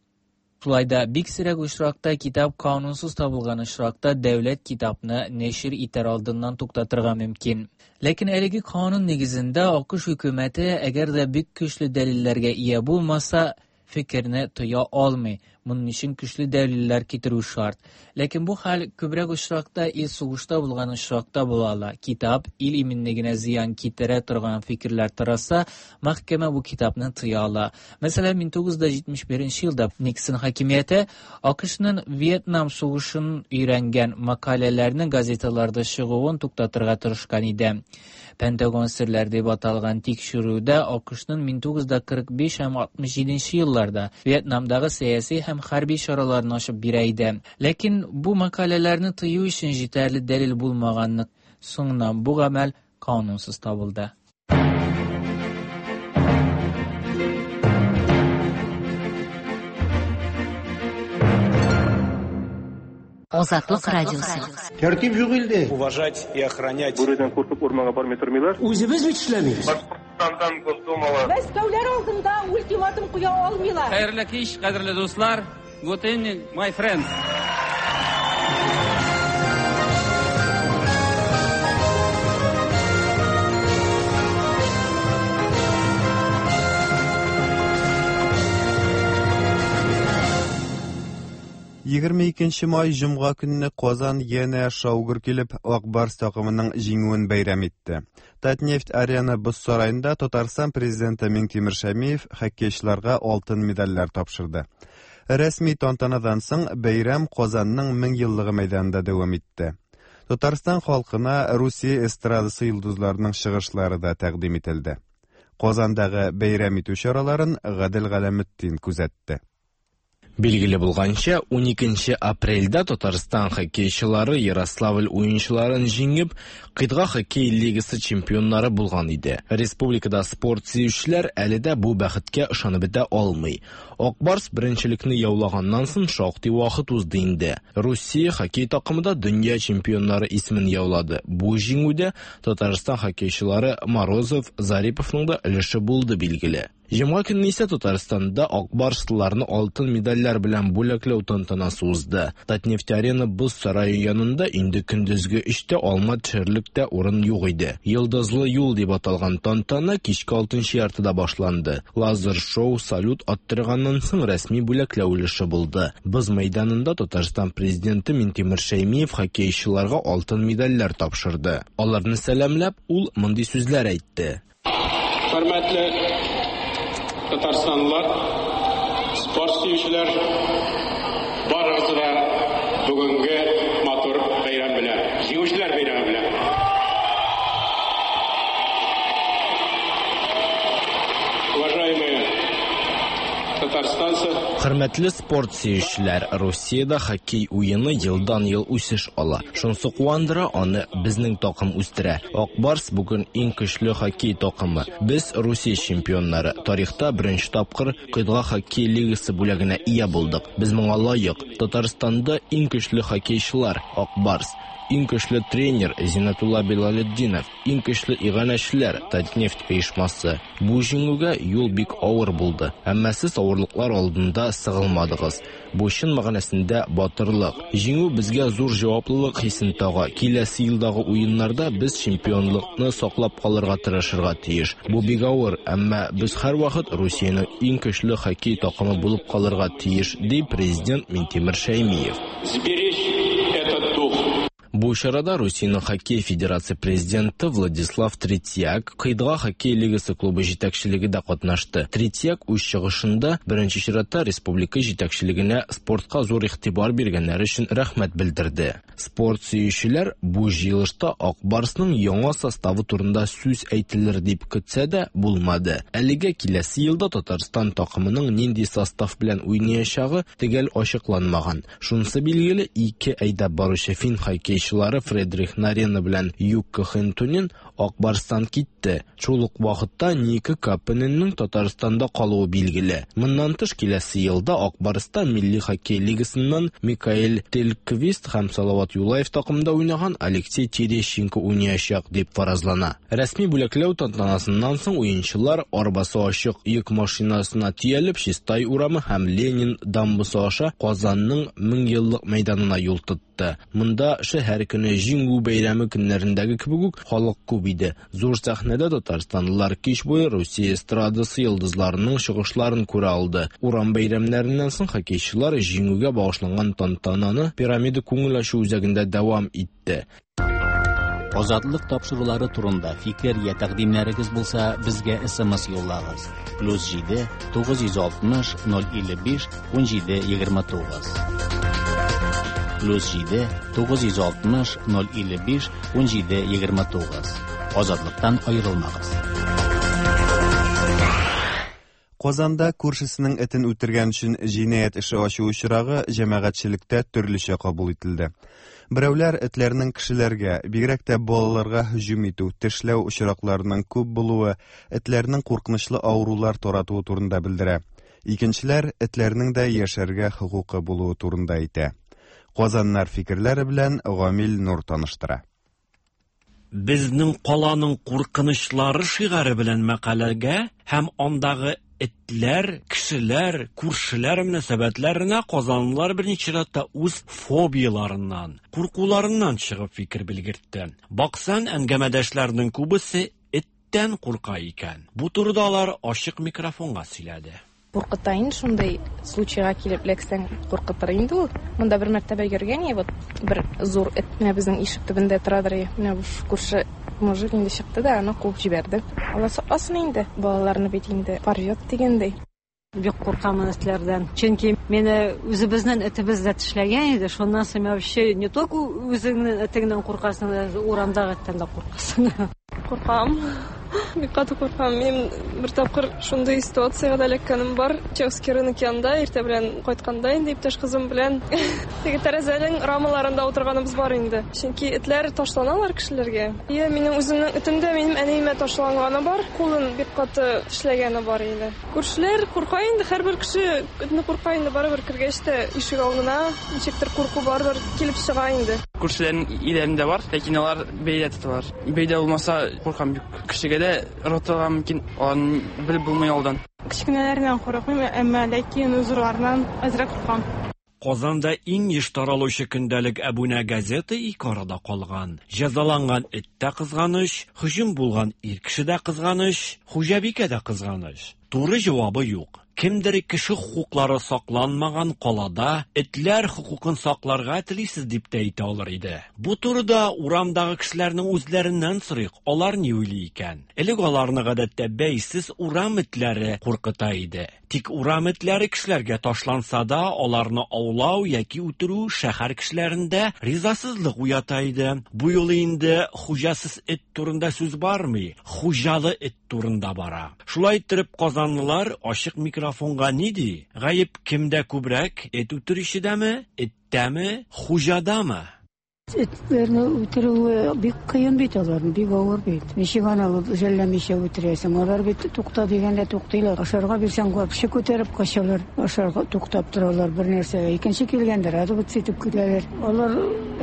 Шулай да бик сирәк очракта китап канунсыз табылган очракта дәүләт китапны нәшир итәр алдыннан туктатырга мөмкин. Ләкин әлеге канун нигезендә АКШ хөкүмәте әгәр дә бик көчле дәлилләргә ия булмаса, фикерне тыя алмый. Моның өчен көчле дәлилләр китерү шарт. Ләкин бу хәл күбрәк очракта ил сугышта булган очракта була ала. Китап ил иминлегенә зыян китерә торган фикерләр тараса, мәхкәмә бу китапны тыя ала. Мәсәлән, мең тугыз йөз җитмеш беренче елда Никсон хакимияте АКШның Вьетнам сугышын өйрәнгән мәкаләләрнең газеталарда чыгуын туктатырга тырышкан иде. Пентагон серләре дип аталган тикшерүдә АКШның мең тугыз йөз кырык биш һәм алтмыш җиденче елларда Вьетнамдагы сәяси һәм хәрби чараларны ачып бирә иде. Ләкин бу мәкаләләрне тыю өчен җитәрле дәлил булмаганлык соңыннан бу гамәл канунсыз табылды. Азатлык радиосы. Тәртип юк илдә. Уважать и охранять. Бүредән куркып урманга бармый тормыйлар. Үзебез бит эшләмибез. Башкортстандан Госдумала. Мәскәүләр алдында ультиматум куя алмыйлар. Хәерле кич, кадерле дуслар. Good evening, my friends. Егерме икенче май җомга көнне Казан янә шаугыр килеп Ак Барс такымының җиңүен бәйрәм итте. Татнефть Арена боз сараенда Татарстан президенты Миңтимер Шәймиев хоккейчыларга алтын медальләр тапшырды. Рәсми тантанадан соң бәйрәм Казанның мең еллыгы мәйданында дәвам итте. Татарстан халкына Русия эстрадасы йолдызларының чыгышлары да тәкъдим ителде. Казандагы бәйрәм итү чараларын Гадел Галәметдин күзәтте. Билгеле булганча, уникенче апрельдә Татарстан хоккейчылары Ярославль уенчыларын җиңеп, Кыйтга хоккей лигасы чемпионнары булган иде. Республикада спорт сөючеләр әле дә бу бәхеткә ышанып бетә алмый. Ак Барс беренчелекне яулаганнан соң шактый вакыт узды инде. Русия хоккей такымы да дөнья чемпионнары исемен яулады. Бу җиңүдә Татарстан хоккейчылары Морозов, Зариповның да өлеше булды билгеле. Җомга көнне исә Татарстанда Ак Барслыларны алтын медальләр белән бүләкләү тантанасы узды. Татнефть Арена боз сарае янында инде көндезге өчтә алма төшерлек тә урын юк иде. Йолдызлы юл дип аталган тантана кичке алтынчы яртыда башланды. Лазер шоу салют аттырганнан соң рәсми бүләкләү өлеше булды. Боз мәйданында Татарстан президенты Миңтимер Шәймиев хоккейчыларга алтын медальләр тапшырды. Аларны сәламләп, ул мондый сүзләр әйтте. Хөрмәтле Татарстанлылар, спорт сөючеләр, барыгызны да бүгенге матур бәйрәм белән, җиңүчеләр бәйрәме белән. Уважаемые татарстанцы, Хөрмәтле спорт сөючеләр, Русиядә хоккей уены елдан-ел үсеш ала. Шунсы куандыра, аны безнең такым үстерә. Ак Барс бүген иң көчле хоккей такымы. Без Русия чемпионнары. Тарихта беренче тапкыр Кыйтга хоккей лигасы бүләгенә ия булдык. Без моңа лаек. Татарстанда иң көчле хоккейчылар Ак Барс, иң көчле тренер Зинатулла Билалетдинов, иң көчле иганәчеләр Татнефть оешмасы. Бу җиңүгә юл бик авыр булды. Әмма сез авырлыклар алдында сыгылмадыгыз. Бу чын мәгънәсендә батырлык. Җиңү безгә зур җаваплылык хисен тага. Киләсе елдагы уеннарда без чемпионлыкны саклап калырга тырышырга тиеш. Бу бик авыр, әмма без һәрвакыт Русиянең иң көчле хоккей такымы булып калырга тиеш, ди президент Миңтимер Шәймиев. Сберечь этот дух. Бу чарада Русиянең хоккей федерация президенты Владислав Третьяк, Кыйтга хоккей лигасы клубы җитәкчелеге дә катнашты. Третьяк үз чыгышында беренче чиратта республика җитәкчелегенә спортка зур игътибар биргәннәре өчен рәхмәт белдерде. Спорт сөючеләр бу җыелышта Ак Барсның яңа составы турында сүз әйтелер дип көтсә дә булмады. Әлегә киләсе елда Татарстан такымының нинди состав белән уйнаячагы төгәл ачыкланмаган. Шунысы билгеле, ике әйдәп баручы фин хоккейчылары Фредрих Нарена белән Юкка Хентунин Ак Барстан китте. Шул ук вакытта Ника Капененның Татарстанда калуы билгеле. Моннан тыш киләсе елда Ак Барста милли хоккей лигасыннан Микаэль Тельквист һәм Салават Юлаев такымында уйнаган Алексей Терещенко уйнаячак дип фаразлана. Рәсми бүләкләү тантанасыннан соң уенчылар арбасы ачык йөк машинасына төялеп Чистай урамы һәм Ленин дамбасы аша Казанның мең еллык мәйданына юл тотты. чыкты. Монда шәһәр көне, Җиңү бәйрәме көннәрендәге кебек үк халык күп иде. Зур сәхнәдә татарстанлылар кич буе Русия эстрадасы йолдызларының чыгышларын күрә алды. Урам бәйрәмнәреннән соң хоккейчылар җиңүгә багышланган тантананы Пирамида күңел ачу үзәгендә дәвам итте. Азатлык тапшырулары турында фикер я тәкъдимнәрегез булса, безгә С М С юллагыз. Плюс җиде тугыз йөз алтмыш ноль илле биш ун җиде егерме тугыз. Плюс җиде тугыз йөз алтмыш ноль илле биш ун җиде егерме тугыз. Азатлыктан аерылмагыз. Казанда күршесенең этен үтергән өчен җинаять эше ачу очрагы җәмәгатьчелектә төрлечә кабул ителде. Берәүләр этләрнең кешеләргә, бигрәк тә балаларга һөҗүм итү, тешләү очракларының күп булуы, этләрнең куркынычлы авырулар таратуы турында белдерә. Икенчеләр этләрнең дә яшәргә хокукы булуы турында әйтә. Казаннар фикерләре белән Гамил Нур таныштыра. Безнең каланың куркынычлары шигаре белән мәкаләгә һәм андагы этләр, кешеләр, күршеләр мөнәсәбәтләренә казанлылар берничә рәттә үз фобияларыннан, куркуларыннан чыгып фикер белгертте. Баксан, әңгәмәдәшләрнең күбесе эттән курка икән. Бу турыда алар ачык микрофонга сөйләде. Куркыта инде шундый случайга килеп эләксәң, куркытыр инде ул. Монда бер мәртәбә йөргән, вот бер зур эт менә безнең ишек төбендә торадыр. Менә бу күрше мужик инде чыкты да, аны куып җибәрде. Алла сакласын инде, балаларны бит инде порвет дигәндәй. Бик куркамын этләрдән. Чөнки мине үзебезнең этебез дә тешләгән иде. Шуннан соң вообще не только үзеңнең этеңнән куркасың, урамдагы эттән дә куркасың. Куркам. Бик каты куркам. Мин бер тапкыр шундый ситуациягә дә эләккәнем бар. Чеховский рынок янында иртә белән кайтканда инде иптәш кызым белән теге тәрәзәнең рамаларында утырганыбыз бар инде. Чөнки этләр ташланалар кешеләргә. Е, минем үземнең этем дә минем әниемә ташланганы бар, кулын бик каты тешләгәне бар инде. Күршеләр курка инде, һәрбер кеше этне курка инде, барыбер кергәч тә ишек алдына ничектер курку барыбер килеп чыга инде. Күршеләрнең өйләрендә бар, ләкин алар бәйдә тоталар. Бәйдә булмаса куркам бик. Кешегә дә ротыга мөмкин, аларны белеп булмый алдан. Кечкенәләреннән курыкмыйм, әмма ләкин зурларыннан әзрәк куркам. Казанда иң еш таралучы көндәлек әбүнә газеты ике арада калган. Җәзаланган эт тә кызганыч, һөҗүм булган ир кеше дә кызганыч, хуҗабикә дә кызганыч. Туры җавабы юк. Кемдер кеше хокуклары сакланмаган калада этләр хокукын сакларга телисез дип тә әйтә алыр иде. Бу турыда урамдагы кешеләрнең үзләреннән сорыйк, алар ни уйлый икән? Элек аларны гадәттә бәйсез урам этләре куркыта иде. Тик урам этләре кешеләргә ташланса да, аларны аулау яки үтерү шәһәр кешеләрендә ризасызлык уята иде. Бу юлы инде хуҗасыз эт турында сүз бармый, хуҗалы эт турында бара. Шулай иттереп казанлылар ачык микрофонга ни ди? Гаеп кемдә күбрәк? Эт үтерүчедәме, эттәме, хуҗадамы? Этләрне үтерү бик кыен бит аларны, бик авыр бит. Ничек аны жәлләмичә үтерәсең? Алар бит тукта дигәндә туктыйлар. Ашарга бирсәң, вообще күтәреп качалар. Ашарга туктап торалар бер нәрсә. Икенче килгәндә радып итеп китәләр. Алар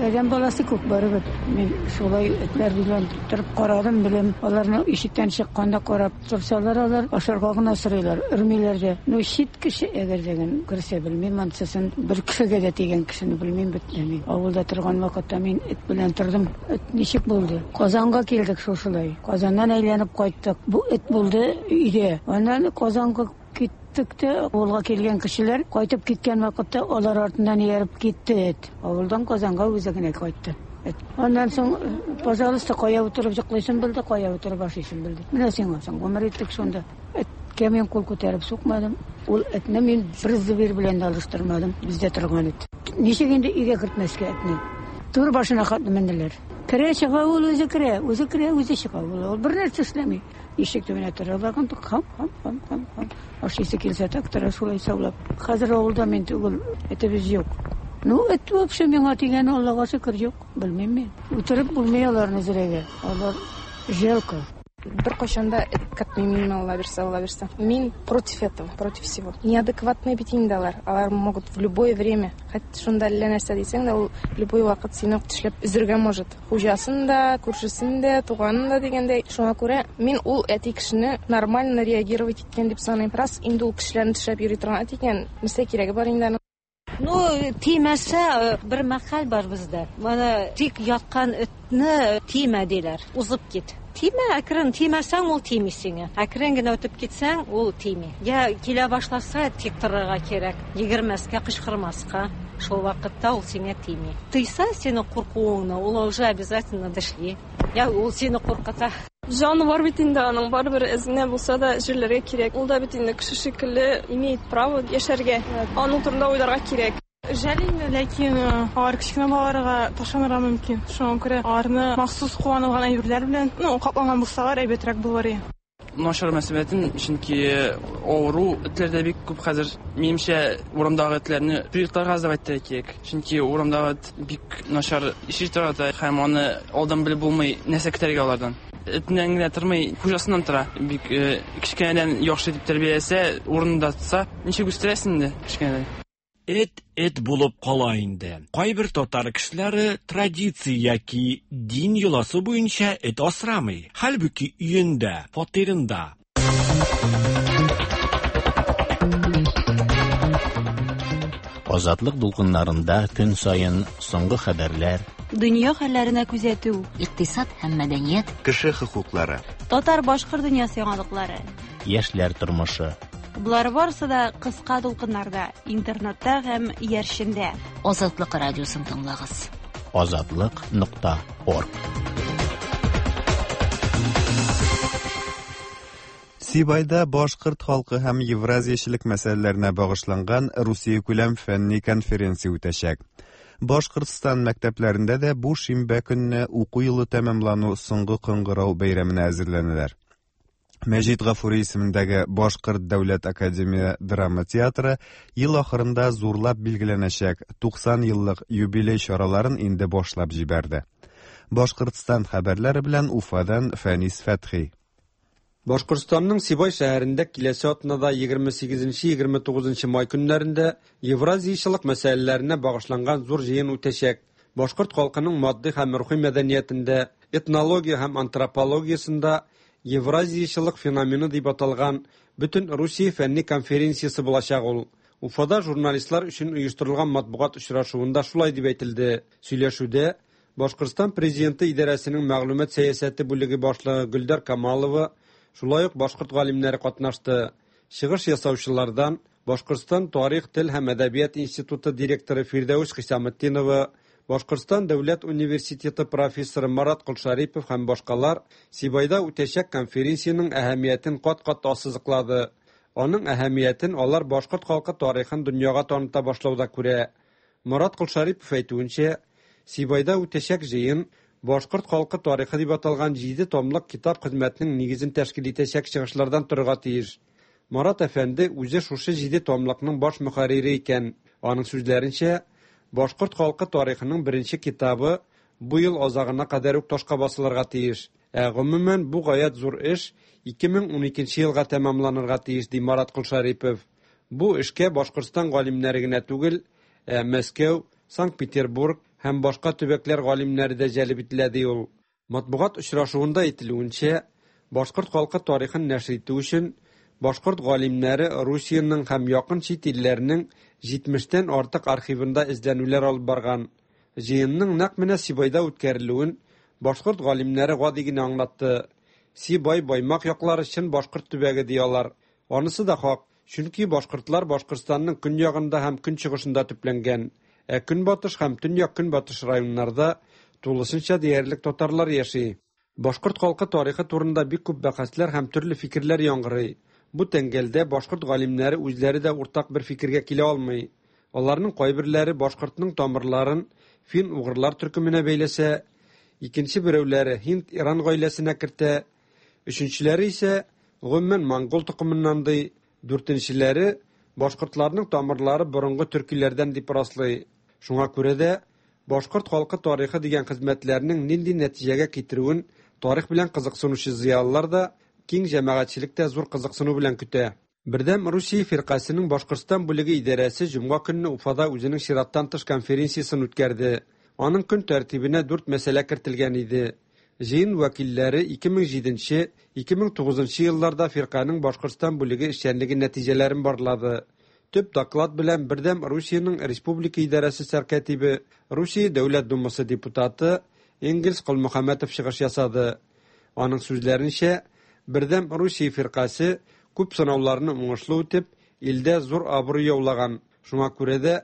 адәм баласы күп барыбер. Мин шулай этләр белән торып карадым, белем. Аларны ишектән чыкканда карап торсалар, алар ашарга гына сорыйлар, өрмиләр дә. Ну, чит кеше әгәр дигән керсә белмим, ансысын бер кешегә дә тигән кешене белмим бит. Авылда торган вакытта мин эт белән тордым. Эт ничек булды? Казанга килдек шушылай. Казаннан әйләнеп кайттык. Бу эт булды өйдә. Аннан Казанга киттек тә, авылга килгән кешеләр кайтып киткән вакытта алар артыннан ияреп китте эт. Авылдан Казанга үзе генә кайтты. Аннан соң, пожалуйста, кая утырып йоклыйсың белде, кая утырып ашыйсың белде. Менә сиңа соң гомер иттек шунда. Эткә мин кул күтәреп сукмадым. Ул этне мин бер зыбир белән дә алыштырмадым. Бездә торган эт. Ничек инде өйгә кертмәскә этне? Тур башына хатны менделәр. Керә чыга ул үзе керә, үзе керә, үзе чыга. Ул бер нәрсә эшләми. Ишек төбенә тора барган, хам, хам, хам, хам, хам. Ашыйсы килсә так тора шулай саулап. Хәзер авылда мин түгел, этебез юк. Ну, эт вообще миңа тигән, Аллага шөкер, юк. Белмим мин. Үтереп булмый аларны зрәгә. Алар жалко. Бер кайчан да эт кертмим мин, Алла бирсә, Алла бирсә. Мин против этого, против всего. Неадекватные бит инде алар. Алар могут в любое время, хоть шунда әллә нәрсә дисәң дә, ул любой вакыт сине тешләп өзергә может. Хуҗасын да, күршесен дә, туганын да дигәндәй. Шуңа күрә мин ул әти кешене нормально реагировать иткән дип саныйм. Раз инде ул кешеләрне тешләп йөри торган әти икән, нәрсә кирәге бар инде аның? Ну, тимәсә, бер мәкаль бар бездә. Менә тик яткан этне тимә диләр. Узып кит. Тимә, әкрен тимәсәң, ул тими сиңа. Әкрен генә үтеп китсәң, ул тими. Я килә башласа, тик торырга кирәк. Йөгермәскә, кычкырмаска. Шул вакытта ул сиңа тими. Тыйса сине куркуыңны, ул уже обязательно дышли. Я ул сине куркыта. Җаны бар бит инде аның, барыбер эзенә булса да җирләргә кирәк. Ул да бит инде кеше шикелле имеет право яшәргә. Аның турында уйларга кирәк. Жәл инде, ләкин алар кечкенә балаларга ташланырга мөмкин. Шуңа күрә аларны махсус кулланылган әйберләр белән, ну, капланган булсалар, әйбәтрәк булыр иде. Начар мөнәсәбәтем, чөнки авыру этләр дә бик күп хәзер. Минемчә, урамдагы этләрне приютларга сдавать итәргә кирәк. Чөнки урамдагы эт бик начар иши тора һәм аны алдан белеп булмый нәрсә көтәргә алардан. Этеннән генә тормый, хуҗасыннан тора. Бик кечкенәдән яхшы итеп тәрбияләсә, урынында тотса, ничек үстерәсең инде кечкенәдән. Эт эт булып кала инде. Кайбер татар кешеләре традиция яки дин йоласы буенча эт асрамый. Хәлбүки өендә, фатирында. Азатлык дулкыннарында көн саен соңгы хәбәрләр, дөнья хәлләренә күзәтү, икътисад һәм мәдәният, кеше хокуклары, татар-башкорт дөньясы яңалыклары, яшьләр тормышы. Болар барысы да кыска дулкыннарда, интернетта һәм иярчендә. Азатлык радиосын тыңлагыз. Азатлык нокта орг. Сибайда башкорт халкы һәм евразиячелек мәсьәләләренә багышланган Русия күләм фәнни конференция үтәчәк. Башкортстан мәктәпләрендә дә бу шимбә көнне уку елы тәмамлану соңгы кыңгырау бәйрәменә әзерләнәләр. Мәҗит Гафури исемендәге Башкорт дәүләт академия драма театры ел ахырында зурлап билгеләнәчәк туксан еллык юбилей чараларын инде башлап җибәрде. Башкортстан хәбәрләре белән Уфадан Фәнис Фәтхи. Башкортстанның Сибай шәһәрендә киләсе атнада егерме сигезенче егерме тугызынчы май көннәрендә евразиячелек мәсьәләләренә багышланган зур җыен үтәчәк. Башкорт халкының матди һәм рухи мәдәниятендә, этнология һәм антропологиясендә Евразиячелек феномены дип аталган бөтен Русия фәнни конференциясе булачак ул. Уфада журналистлар өчен оештырылган матбугат очрашуында шулай дип әйтелде. Сөйләшүдә Башкортстан президенты идарәсенең мәгълүмат сәясәте бүлеге башлыгы Гөлдар Камалова, шулай ук башкорт галимнәре катнашты. Чыгыш ясаучылардан Башкортстан тарих, тел һәм әдәбият институты директоры Фирдәүс Хисаметдинова, Башкортстан дәүләт университеты профессоры Марат Колшарипов һәм башкалар Сибайда үтәчәк конференциянең әһәмиятен кат-кат ассызыклады. Аның әһәмиятен алар башкорт халкы тарихын дөньяга таныта башлауда күрә. Марат Колшарипов әйтүенчә, Сибайда үтәчәк җыен башкорт халкы тарихы дип аталган җиде томлык китап хезмәтенең нигезен тәшкил итәчәк чыгышлардан торырга тиеш. Марат әфәнде үзе шушы җиде томлыкның баш мөхәррире икән. Аның сүзләренчә, башкорт халкы тарихының беренче китабы бу ел азагына кадәр үк ташка басылырга тиеш. Ә гомумән бу гаять зур эш ике мең уникенче елга тәмамланырга тиеш, ди Марат Колшарипов. Бу эшкә Башкортстан галимнәре генә түгел, ә Мәскәү, Санкт-Петербург һәм башка төбәкләр галимнәре дә җәлеп ителә, ди ул. Матбугат очрашуында әйтелүенчә, башкорт халкы тарихын нәшер итү өчен башкорт галимнәре Русиянең һәм якын чит илләрнең җитмештән артык архивында эзләнүләр алып барган. Җыенның нәкъ менә Сибайда үткәрелүен башкорт галимнәре гади генә аңлатты. Сибай Баймак яклары чын башкорт төбәге ди алар. Анысы да хак, чөнки башкортлар Башкортстанның көньягында һәм көнчыгышында төпләнгән, ә көнбатыш һәм төньяк-көнбатыш районнарда тулысынча диярлек татарлар яши. Башкорт халкы тарихы турында бик күп бәхәсләр һәм төрле фикерләр яңгырый. Бу тәңгәлдә башкорт галимнәре үзләре дә уртак бер фикергә килә алмый. Аларның кайберләре башкортның тамырларын фин-угырлар төркеменә бәйләсә, икенче берәүләре һинд-иран гаиләсенә кертә, өченчеләре исә гомумән монгол токымыннан ди, дүртенчеләре башкортларның тамырлары борынгы төркиләрдән дип раслый. Шуңа күрә дә башкорт халкы тарихы дигән хезмәтләрнең нинди нәтиҗәгә китерүен тарих белән кызыксынучы зыялылар да, киң җәмәгатьчелек тә зур кызыксыну белән көтә. Бердәм Русия фиркасының Башкортстан бүлеге идарәсе җомга көнне Уфада үзенең чираттан тыш конференциясен үткәрде. Аның көн тәртибенә дүрт мәсьәлә кертелгән иде. Җыен вәкилләре ике мең җиденче ике мең тугызынчы елларда фирканың Башкортстан бүлеге эшчәнлеге нәтиҗәләрен барлады. Төп доклад белән Бердәм Русиянең республика идарәсе сәркәтибе, Русия Дәүләт Думасы депутаты Энгельс Колмөхәммәтов чыгыш ясады. Аның сүзләренчә, Бердәм Русия фиркасе күп сынауларны уңышлы үтеп, илдә зур абруй яулаган. Шуңа күрә дә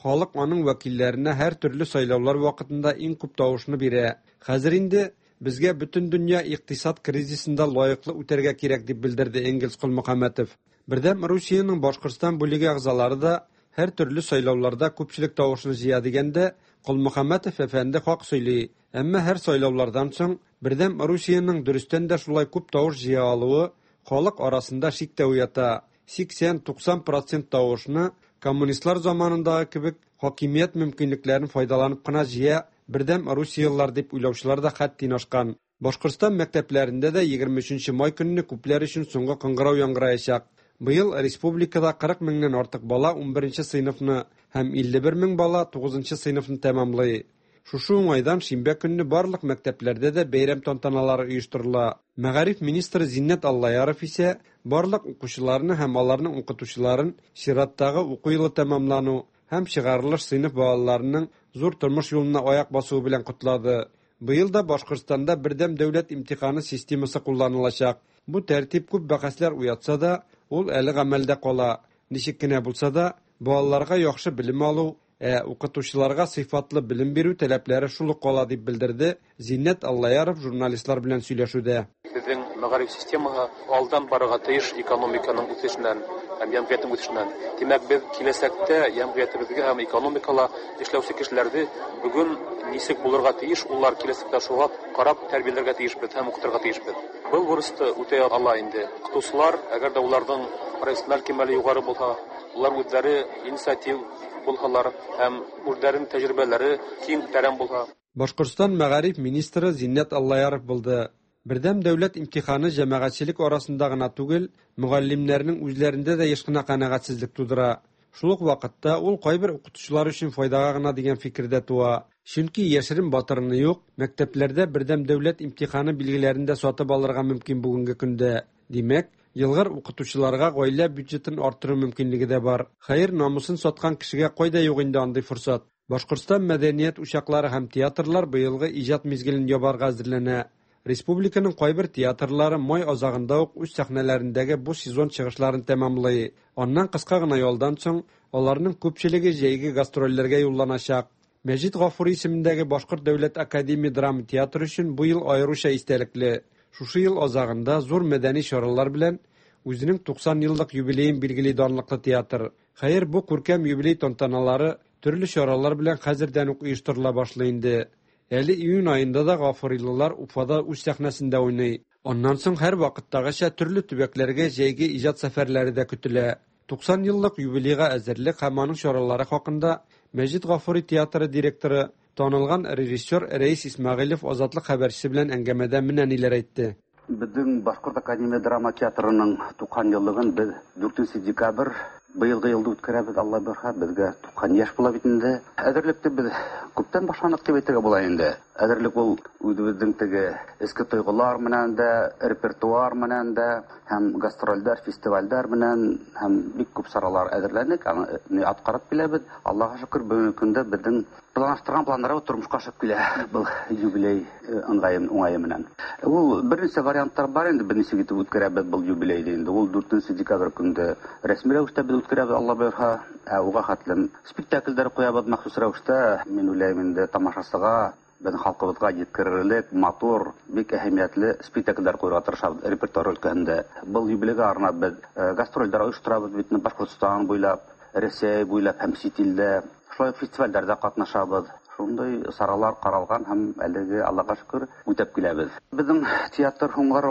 халык аның вәкилләренә һәр төрле сайлаулар вакытында иң күп тавышны бирә. Хәзер инде безгә бөтен дөнья икътисад кризисында лаеклы үтәргә кирәк, дип белдерде Энгельс Колмөхәммәтов. Бердәм Русиянең Башкортстан бүлеге әгъзалары да һәр төрле сайлауларда күпчелек тавышны җыя дигәндә Колмөхәммәтов әфәнде хак сөйли. Әмма һәр сайлаулардан соң Бердәм Русиянең дөрестән дә шулай күп тавыш җыя алуы халык арасында шик тә уята. сиксән-туксан процент тавышны коммунистлар заманындагы кебек хакимият мөмкинлекләрен файдаланып кына җыя Бердәм Русиялылар дип уйлаучылар да хәттин ашкан. Башкортстан мәктәпләрендә дә егерме өченче май көнне күпләр өчен соңгы кыңгырау яңгыраячак. Быел республикада кырык меңнән артык бала унберенче сыйныфны һәм илле бер мең бала тугызынчы сыйныфны тәмамлый. Шушы уңайдан шимбә көнне барлык мәктәпләрдә дә бәйрәм тантаналары оештырыла. Мәгариф министры Зиннәт Аллаяров исә барлык укучыларны һәм аларның укытучыларын чираттагы уку елы тәмамлану һәм чыгарылыш сыйныф балаларының зур тормыш юлына аяк басуы белән котлады. Быел да Башкортстанда бердәм дәүләт имтиханы системасы кулланылачак. Бу тәртип күп бәхәсләр уятса да, ул әле гамәлдә кала. Ничек кенә булса да, балаларга яхшы белем алу, ә укытучыларга сыйфатлы белем бирү таләпләре шул ук кала, дип белдерде Зиннәт Аллаяров журналистлар белән сөйләшүдә. Безнең мәгариф системасы алдан барырга тиеш экономиканың үсешеннән һәм җәмгыятьнең үсешеннән. Димәк, без киләчәктә җәмгыятебезгә һәм экономикала эшләүче кешеләрне бүген ничек булырга тиеш, улар киләчәктә шуңа карап тәрбияләргә тиешбез һәм укытырга тиешбез. Был бурычты үтәй ала инде. Укытучылар, әгәр дә уларның профессиональ кимәле югары булса, улар үзләре инициатив булһалар һәм үзләренең тәҗрибәләре киң тәрән булһа. Башкортстан мәгариф министры Зиннәт Аллаяров булды. Бердәм дәүләт имтиханы җәмәгатьчелек арасында гына түгел, мөгаллимнәрнең үзләрендә дә еш кына канәгатьсезлек тудыра. Шул ук вакытта ул кайбер укытучылар өчен файдага гына дигән фикердә туа. Чөнки яшерен батырыны юк, мәктәпләрдә бердәм дәүләт имтиханы билгеләрен дә сатып алырга мөмкин бүгенге көндә. Димәк, елгыр укытучыларга гаилә бюджетын арттыру мөмкинлеге дә бар. Хәер, намусын саткан кешегә кайда юк инде андый форсат. Башкортстан мәдәният учаклары һәм театрлар быелгы иҗат мизгелен ябарга әзерләнә. Республиканың кайбер театрлары май азагында ук үз сәхнәләрендәге бу сезон чыгышларын тәмамлый. Аннан кыска гына ялдан соң аларның күпчелеге җәйге гастрольләргә юлланачак. Мәҗит Гафури исемендәге Башкорт дәүләт академия драма театры өчен бу ел аеруча истәлекле. Шушы ел азагында зур мәдәни чаралар белән үзенең туксан еллык юбилеен билгели данлыклы театр. Хәер, бу күркәм юбилей тантаналары төрле чаралар белән хәзердән үк оештырыла башлый инде. Әле июнь аенда да гафурилылар Уфада үз сәхнәсендә уйный. Аннан соң һәр вакыттагыча төрле төбәкләргә җәйге иҗат сәфәрләре дә көтелә. туксан еллык юбилейга әзерлек һәм аның чаралары хакында Мәҗит Гафури театры директоры, танылган режиссер Рәис Исмәгыйлев Азатлык хәбәрчесе белән әңгәмәдә менә ниләр әйтте. Безнең Башкорт академия драма театрының туксан еллыгын без дүртенче декабрь быелгы елда үткәрәбез, Алла бирһә, безгә туксан яшь була бит инде. Әзерлекте без күптән башландык дип әйтергә була инде. Әзерлек ул үзебезнең теге эске тойгылар менән дә, репертуар менән дә, һәм гастрольләр, фестивальләр менән һәм бик күп чаралар әзерләндек, аны аткарып киләбез. Аллаһка шөкер, бүгенге көндә безнең планлаштырган планнар тормышка ашып килә был юбилей ыңгайы уңае менән. Ул берничә вариантлар бар инде, берничә итеп үткәрәбез был юбилейны инде. Ул дүртенче декабрь көндә рәсми рәвештә без үткәрәбез, Алла боерһа, ә уга хәтлем спектакльләр куябыз махсус рәвештә. Мин уйлыйм инде тамашачыга, безнең халкыбызга җиткерерлек матур, бик әһәмиятле спектакльләр куярга тырышабыз репертуар өлкәһендә. Был юбилейга арнап без гастрольләр оештырабыз бит Башкортстан буйлап, Рәсәй буйлап һәм чит илдә. Шулай ук фестивальләрдә катнашабыз. Шундый чаралар каралган һәм әлеге Аллага шөкер үтәп киләбез. Безнең театр һуңгар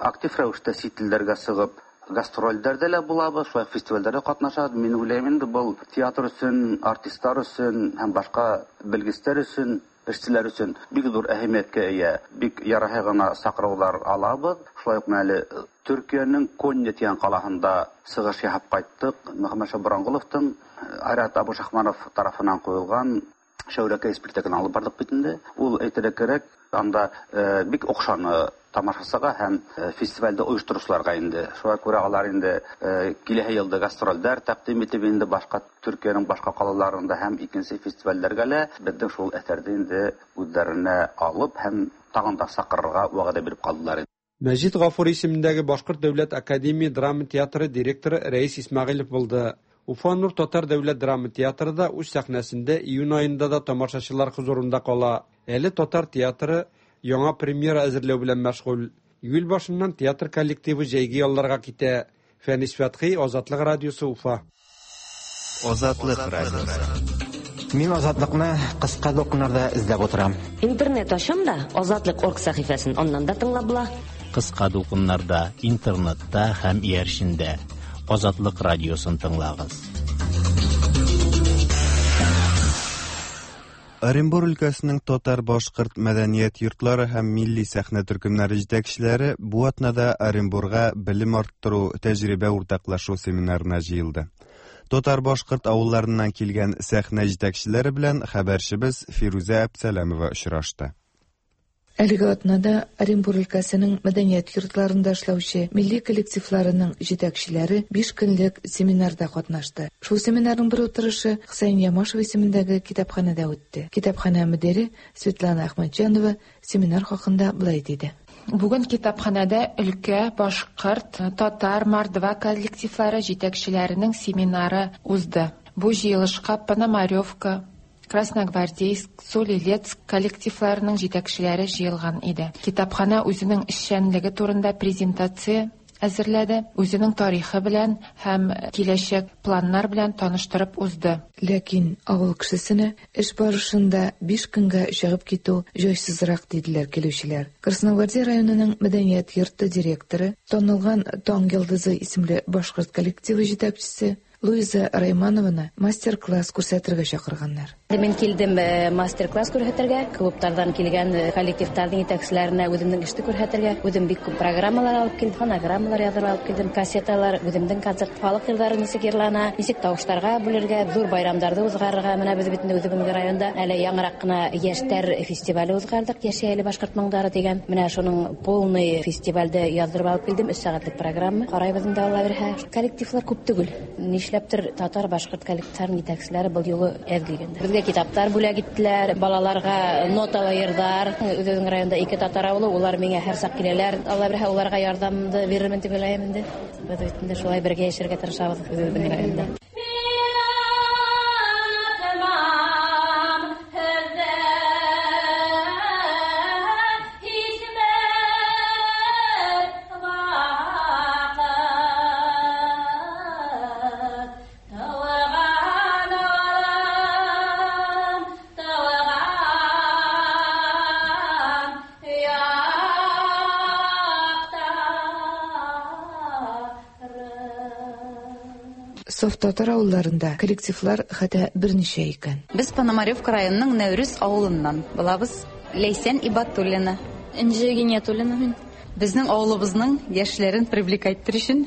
актив рәвештә чит илләргә чыгып гастрольләрдә лә булабыз, шулай фестивальләрдә катнашабыз. Мин уйлыйм инде был театр өчен, артистлар өчен һәм башка белгечләр өчен, эшчеләр өчен бик зур әһәмияткә ия. Бик ярахы гына сакраулар алабыз. Шулай ук әле Төркиянең Конья дигән каласында чыгыш ясап кайттык. Мөхәммәтша Бурангуловтың Айрат Абушахманов тарафыннан куелган Шәүрәкәй спектаклен алып бардык бит инде. Ул әйтергә кирәк, анда бик охшаны тамашасыга һәм фестивальдә оештыручыларга инде. Шуңа күрә алар инде киләһе елда гастрольләр тәкъдим итеп инде башка Төркиянең башка калаларында һәм икенче фестивальләргә лә безнең шул әсәрне инде үзләренә алып һәм тагын да сакырырга вәгъдә биреп калдылар. Мәҗит Гафури исемендәге Башкорт дәүләт академия драма театры директоры Рәис Исмәгыйлев булды. Уфа Нур татар дәүләт драма театры да үз сәхнәсендә июнь аенда да тамашачылар хозурында кала. Әле татар театры яңа премьера әзерләү белән мәшгуль. Июль башыннан театр коллективы җәйге ялларга китә. Фәнис Фәтхи, Азатлык радиосы, Уфа. Азатлык радиосы. Мин Азатлыкны кыска дулкыннарда эзләп утырам. Интернет ачам да Азатлык орг сәхифәсен аннан да тыңлап була. Кыска дулкыннарда, интернетта һәм иярчендә Азатлык радиосын тыңлагыз. Оренбур өлкәсенең татар-башкорт мәдәният йортлары һәм милли сәхнә төркемнәре җитәкчеләре бу атнада Оренбурга белем арттыру, тәҗрибә уртаклашу семинарына җыелды. Татар-башкорт авылларыннан килгән сәхнә җитәкчеләре белән хәбәрчебез Фирүзә Әпсәләмова очрашты. Әлеге атнада Оренбур өлкәсенең мәдәният йортларында эшләүче милли коллективларының җитәкчеләре биш көнлек семинарда катнашты. Шул семинарның бер утырышы Хөсәен Ямашев исемендәге китапханәдә үтте. Китапханә мөдире Светлана Әхмәтҗанова семинар хакында былай диде. Бүген китапханәдә өлкә, башкорт, татар, мордва коллективлары җитәкчеләренең семинары узды. Бу җыелышка Пономаревка, Красногвардейск, Солилецк коллективларының җитәкчеләре җыелган иде. Китапханә үзенең эшчәнлеге турында презентация әзерләде, үзенең тарихы белән һәм киләчәк планнар белән таныштырып узды. Ләкин авыл кешесенә эш барышында биш көнгә чыгып китү җайсызрак диделәр килүчеләр. Красногвардей районының мәдәният йорты директоры, танылган Таң йолдызы исемле башкорт коллективы җитәкчесе Луиза Райманованы мастер-класс күрсәтергә чакырганнар. Мин килдем мастер-класс күрсәтергә, клублардан килгән коллективларның җитәкчеләренә үземнең эшне күрсәтергә. Үзем бик күп программалар алып килдем, фонограммалар язып алып килдем, кассеталар, үземнең концерт халык җырлары ничек йырлана, ничек тавышларга бүлергә, зур байрамнарны узгарырга. Менә без бит үзебезнең районда әле яңарак кына яшьләр фестивале узгардык, Яшәй әле башкорт моңнары дигән. Менә шуның полный фестивальдә яздырып алып килдем, өч сәгатьлек программа. Карайбыз инде, Алла бирһә. Коллективлар күп түгел. Нишләптер татар башкорт коллективларының җитәкчеләре был юлы әз килгәндә. Безгә китаплар бүләк иттеләр, балаларга ноталы йырдар. Үзебезнең районда ике татар авылы, улар миңа һәр сак киләләр. Алла бирһә, уларга ярдәмне бирермен дип уйлыйм инде. Без бит инде шулай бергә яшәргә тырышабыз үзебезнең районда. Саф татар авылларында коллективлар хәтта берничә икән. Без Пономаревка районының Нәүрүз авылыннан булабыз. Ләйсән Ибатуллина. Энҗе Гиниятуллина мин. Безнең авылыбызның яшьләрен привлекать итәр өчен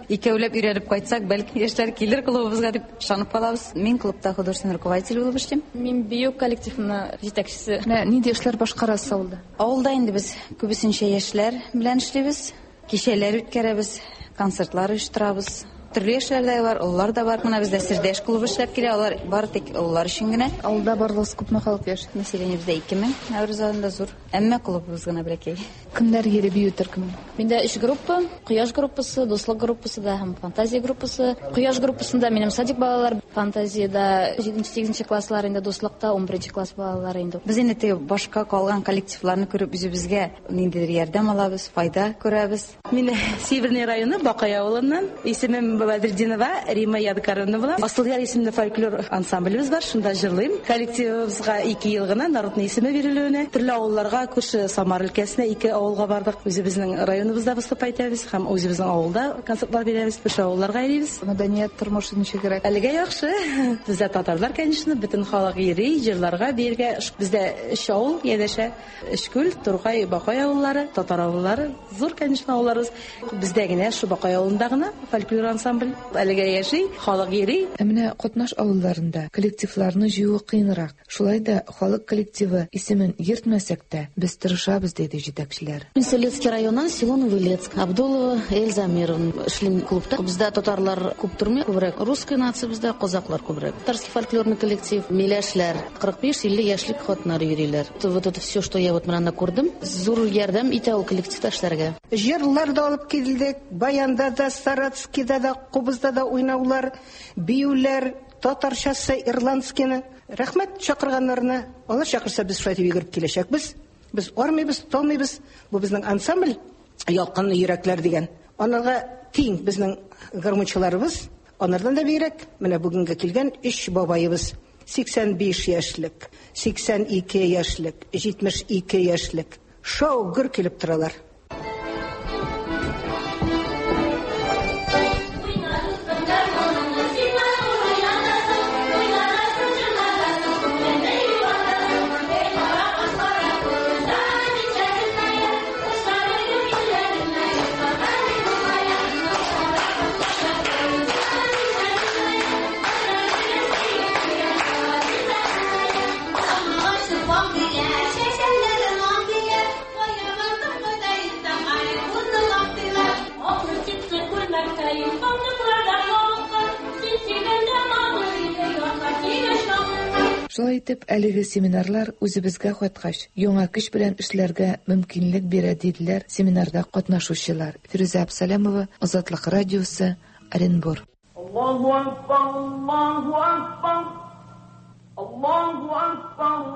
икәүләп өйрәнеп кайтсак, бәлки яшьләр килер клубыбызга дип ышанып калабыз. Мин клубта художественный руководитель булып эшлим. Мин бию коллективының җитәкчесе. Менә нинди эшләр башкарасыз авылда? Авылда инде без күбесенчә яшьләр белән эшлибез. Кичәләр үткәрәбез, концертлар оештырабыз. Төрле яшьләр дә бар, олылар да бар. Менә бездә Сердәш клубы эшләп килә, алар бары тик олылар өчен генә. Авылда барлыгы күпме халык яши? Население бездә ике мең, Нәүрүз авылында зур. Әмма клубыбыз гына бәләкәй. Кемнәр йөри бию төркеменә? Миндә өч группа: Кояш группасы, Дуслык группасы да һәм Фантазия группасы. Кояш группасында минем садик балалар, Фантазияда җиденче-сигезенче класслар инде, Дуслыкта ун беренче класс балалары инде. Без инде теге башка калган коллективларны күреп үзебезгә ниндидер ярдәм алабыз, файда күрәбез. Мин Северный районы Бакай авылыннан. Исемем Бадретдинова Рима Ядкаровна була. Асылъяр исемле фольклор ансамблебез бар, шунда җырлыйм. Коллективыбызга ике ел гына народный исеме бирелүенә. Төрле авылларга, күрше Самар өлкәсенә ике авылга бардык. Үзебезнең районыбызда выступать итәбез һәм үзебезнең авылда концертлар бирәбез, күрше авылларга йөрибез. Мәдәният тормышы ничегрәк? Әлегә яхшы. Бездә татарлар, конечно, бөтен халык йөри, җырларга, биергә. Бездә өч авыл янәшә: Өчкүл, Тургай, Бакай авыллары, татар авыллары, зур, конечно, авылларыбыз. Бездә генә шу Бакай авылында гына фольклор ансамбль. ансамбль. Әлегә яши, халык йөри. Ә менә катнаш авылларында коллективларны җыю кыенрак. Шулай да халык коллективы исемен йөртмәсәк тә, без тырышабыз, диде җитәкчеләр. Мин Солецкий районнан, село Новолецк. Абдулова Эльза Амировна. Эшлим клубта. Бездә татарлар күп тормый, күбрәк русская нация бездә, казаклар күбрәк. Татарский фольклорный коллектив, миләшләр, кырык биш илле яшьлек хатыннар йөриләр. Вот это все, что я вот менә күрдем, зур ярдәм итә ул коллективта эшләргә. Җырлар да алып килдек, баянда да, саратскийда да, кубызда да уйнаулар, биюләр, татарчасы, ирландскийны. Рәхмәт чакырганнарына. Алар чакырса, без шулай дип йөгереп киләчәкбез. Без армыйбыз, талмыйбыз. Бу безнең ансамбль Ялкынлы йөрәкләр дигән. Анарга тиң безнең гармунчыларыбыз, анардан да бигрәк менә бүгенгә килгән өч бабаебыз. сиксән биш яшьлек, сиксән ике яшьлек, җитмеш ике яшьлек. Шау гөр килеп торалар. Шулай итеп, әлеге семинарлар үзебезгә кайткач, яңа көч белән эшләргә мөмкинлек бирә, диделәр семинарда катнашучылар. Фирүзә Абсалямова, Азатлык радиосы, Оренбур. Аллаһу акбар, Аллаһу акбар, Аллаһу акбар,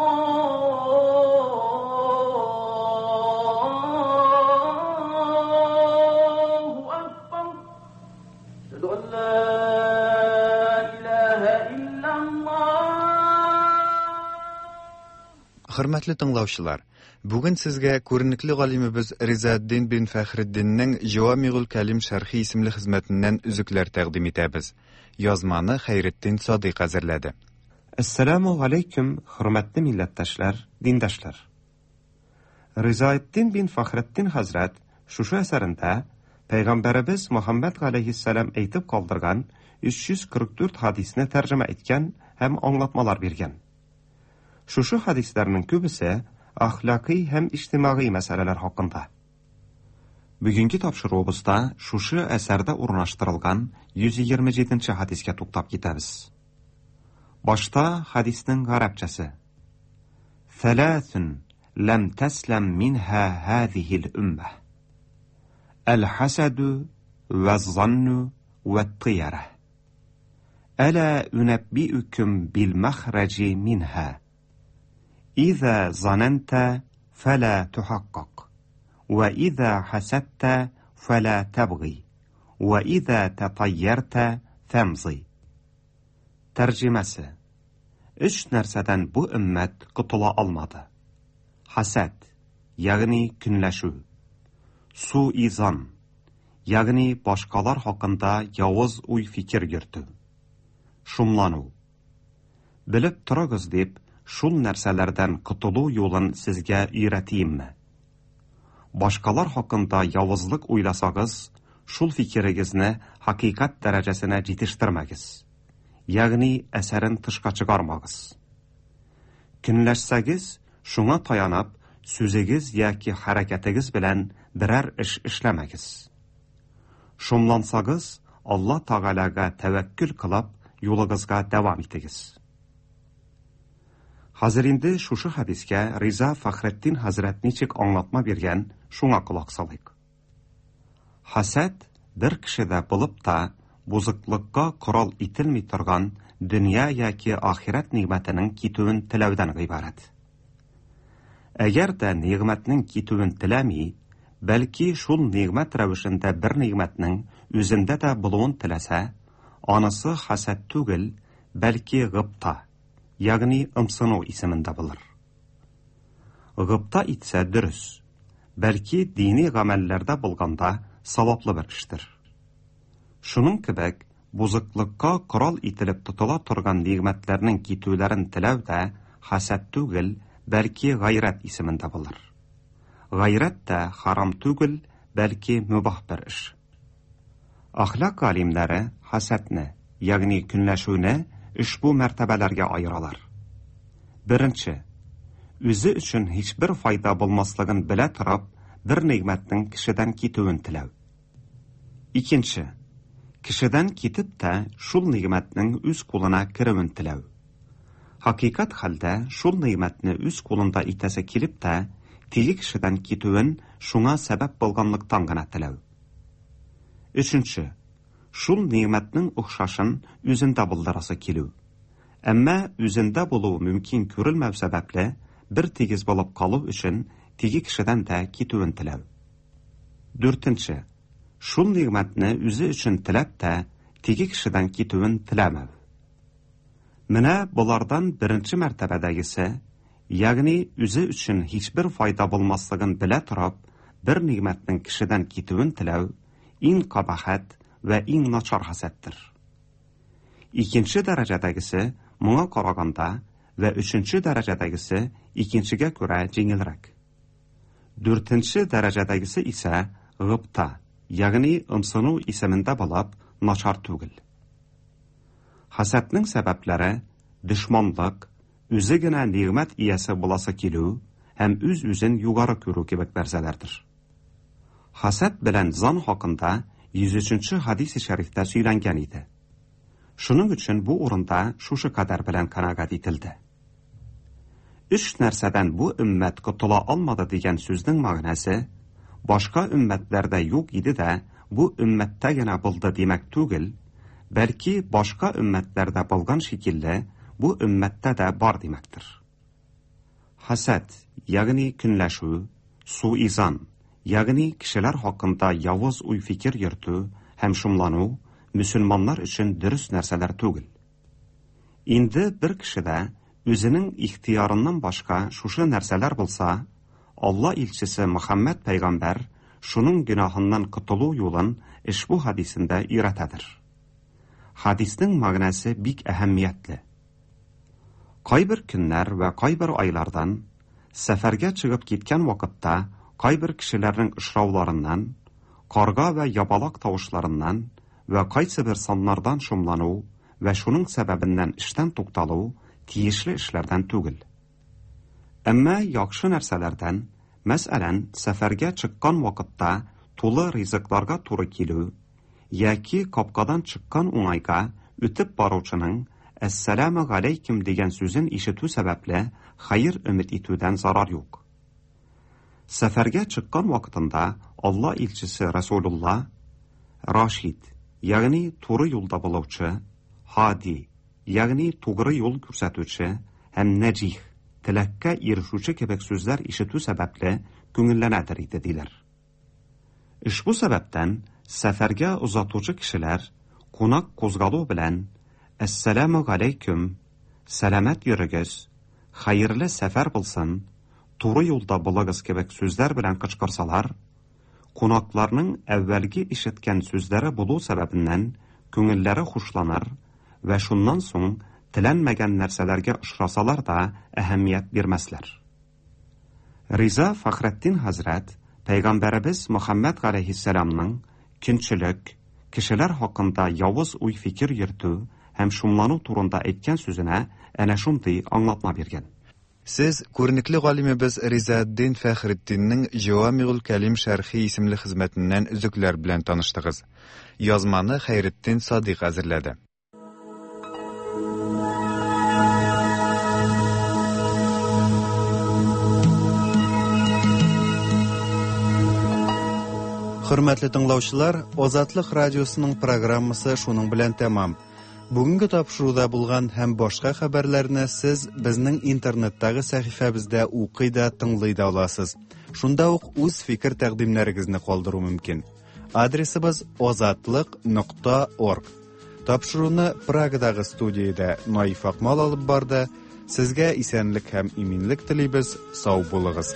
Аллаһу акбар. Әшһәду ан ла илаһа иллаллаһ. Хөрмәтле тыңлаучылар, бүген сезгә күренекле галимебез Ризаэддин бин Фәхретдиннең Җавамигул Кәлим шәрхи исемле хезмәтеннән өзекләр тәкъдим итәбез. Язманы Хәйретдин Садыйк әзерләде. Әссәламу алейкум, хөрмәтле милләттәшләр, диндәшләр. Ризаэддин бин Фәхретдин хәзрәт шушы әсәрендә Пәйгамбәребез Мөхәммәд галәйһиссәлам әйтеп калдырган өч йөз кырык дүрт хадисне тәрҗемә иткән һәм аңлатмалар биргән. Шушы хадисләрнең күбесе әхлакый һәм иҗтимагый мәсьәләләр хакында. Бүгенге тапшыруыбызда шушы әсәрдә урнаштырылган йөз егерме җиденче хадискә туктап китәбез. Башта хадиснең гарәпчәсе. Thalathun lam taslam minha hadhihi al-ummah. Al-hasadu waz-zannu wat-tiyara. Ala unabbi'ukum bil-makhraji minha. إذا ظننت فلا تحقق، وإذا حسدت فلا تبغي، وإذا تطيرت فامضي. Тәрҗемәсе: Өч нәрсәдән бу өммәт котыла алмады. Хәсәд, ягъни көнләшү. Суизан, ягъни башкалар хакында явыз уй-фикер йөртү. Шумлану. Белеп торыгыз дип, шул нәрсәләрдән котылу юлын сезгә өйрәтимме? Башкалар хакында явызлык уйласагыз, шул фикерегезне хакыйкать дәрәҗәсенә җитештермәгез. Ягъни әсәрен тышка чыгармагыз. Көнләшсәгез, шуңа таянып, сүзегез яки хәрәкәтегез белән берәр эш эшләмәгез. Шомлансагыз, Алла Тәгаләгә тәвәккүл кылып, юлыгызга дәвам итегез. Хәзер инде шушы хадискә Риза Фәхретдин хәзрәт ничек аңлатма биргән, шуңа колак салыйк. Хәсәд бер кешедә булып та бузыклыкка корал ителми торган дөнья яки ахирәт нигъмәтенең китүен теләүдән гыйбарәт. Әгәр дә нигъмәтнең китүен теләми, бәлки шул нигъмәт рәвешендә бер нигъмәтнең үзендә дә булуын теләсә, анысы хәсәд түгел, бәлки гыпта, ягъни ымсыну исемендә булыр. Гыпта итсә дөрес, бәлки дини гамәлләрдә булганда саваплы бер эштер. Шуның кебек, бузыклыкка корал ителеп тотыла торган нигъмәтләрнең китүләрен теләү дә хәсәд түгел, бәлки гайрәт исемендә булыр. Гайрәт тә харам түгел, бәлки мөбах бер эш. Әхлак галимнәре хәсәдне, ягъни көнләшүне ошбу мәртәбәләргә аералар. Беренче, үзе өчен һичбер файда булмаслыгын белә торып, бер нигъмәтнең кешедән китүен теләү. Икенче, кешедән китеп тә шул нигъмәтнең үз кулына керүен теләү. Хакыйкать хәлдә шул нигъмәтне үз кулында итәсе килеп тә, теге кешедән китүен шуңа сәбәп булганлыктан гына теләү. Өченче, шул нигъмәтнең охшашын үзендә булдырасы килү. Әмма үзендә булуы мөмкин күрелмәү сәбәпле, бер тигез булып калу өчен теге кешедән дә китүен теләү. Дүртенче, шул нигъмәтне үзе өчен теләп тә, теге кешедән китүен теләмәү. Менә болардан беренче мәртәбәдәгесе, ягъни үзе өчен һичбер файда булмаслыгын белә торып, бер нигъмәтнең кешедән китүен теләү, иң кабахәт вә иң начар хәсәттер. Икенче дәрәҗәдәгесе моңа караганда вә өченче дәрәҗәдәгесе икенчегә күрә җиңелрәк. Дүртенче дәрәҗәдәгесе исә гыпта, ягъни ымсыну исемендә булып, начар түгел. Хәсәднең сәбәпләре дошманлык, үзе генә нигъмәт иясе буласы килү һәм үз-үзен югары күрү кебек нәрсәләрдер. Хәсәд белән зан хакында йөз өченче хадис-и шәрифтә сөйләнгән иде. Шуның өчен бу урында шушы кадәр белән канәгать ителде. Өч нәрсәдән бу өммәт котыла алмады дигән сүзнең мәгънәсе башка өммәтләрдә юк иде дә, бу өммәттә генә булды димәк түгел, бәлки башка өммәтләрдә булган шикелле бу өммәттә дә бар димәктер. Хәсәд, ягъни көнләшү, суизан, ягъни кешеләр хакында явыз уй-фикер йөртү һәм шомлану мөселманнар өчен дөрес нәрсәләр түгел. Инде бер кешедә үзенең ихтыярыннан башка шушы нәрсәләр булса, Алла илчесе Мөхәммәд пәйгамбәр шуның гөнаһыннан котылу юлын ошбу хадисендә өйрәтәдер. Хадиснең мәгънәсе бик әһәмиятле. Кайбер көннәр вә кайбер айлардан сәфәргә чыгып киткән вакытта кайбер кешеләрнең очрауларыннан, карга вә ябалак тавышларыннан вә кайсы бер саннардан шомлану вә шуның сәбәбеннән эштән тукталу тиешле эшләрдән түгел. Әмма яхшы нәрсәләрдән, мәсәлән, сәфәргә чыккан вакытта тулы ризыкларга туры килү яки капкадан чыккан уңайга үтеп баручының «Әссәламу галәйкүм» дигән сүзен ишетү сәбәпле хәер өмет итүдән зарар юк. Сәфәргә чыккан вакытында Алла илчесе Расулулла Рашид, ягъни туры юлда булучы, Һади, ягъни тугры юл күрсәтүче һәм Нәҗих, теләккә ирешүче кебек сүзләр ишетү сәбәпле күңелләнәдер иде диләр. Ошбу сәбәптән сәфәргә озатучы кешеләр кунак кузгалу белән «Әссәламу галәйкүм», «Сәламәт йөрегез», «Хәерле сәфәр булсын», «Туры юлда булыгыз» кебек сүзләр белән кычкырсалар, кунакларның әүвәлге ишеткән сүзләре булу сәбәбеннән күңелләре хушланыр вә шуннан соң теләнмәгән нәрсәләргә очрасалар да әһәмият бирмәсләр. Риза Фәхретдин хәзрәт Пәйгамбәребез Мөхәммәд галәйһиссәламның көнчелек, кешеләр хакында явыз уй-фикер йөртү һәм шомлану турында әйткән сүзенә әнә шундый аңлатма биргән. Сез күренекле галимебез Ризаэддин Фәхретдиннең Җавамигул Кәлим шәрхи исемле хезмәтеннән өзекләр белән таныштыгыз. Язманы Хәйретдин Садыйк әзерләде. Хөрмәтле тыңлаучылар, Азатлык радиосының программасы шуның белән тәмам. Бүгенге тапшыруда булган һәм башка хәбәрләрне сез безнең интернеттагы сәхифәбездә укый да, тыңлый да аласыз. Шунда ук үз фикер тәкъдимнәрегезне калдыру мөмкин. Адресыбыз азатлык нокта орг. Тапшыруны Прагадагы студиядә Наиф Акмал алып барды. Сезгә исәнлек һәм иминлек телибез. Сау булыгыз.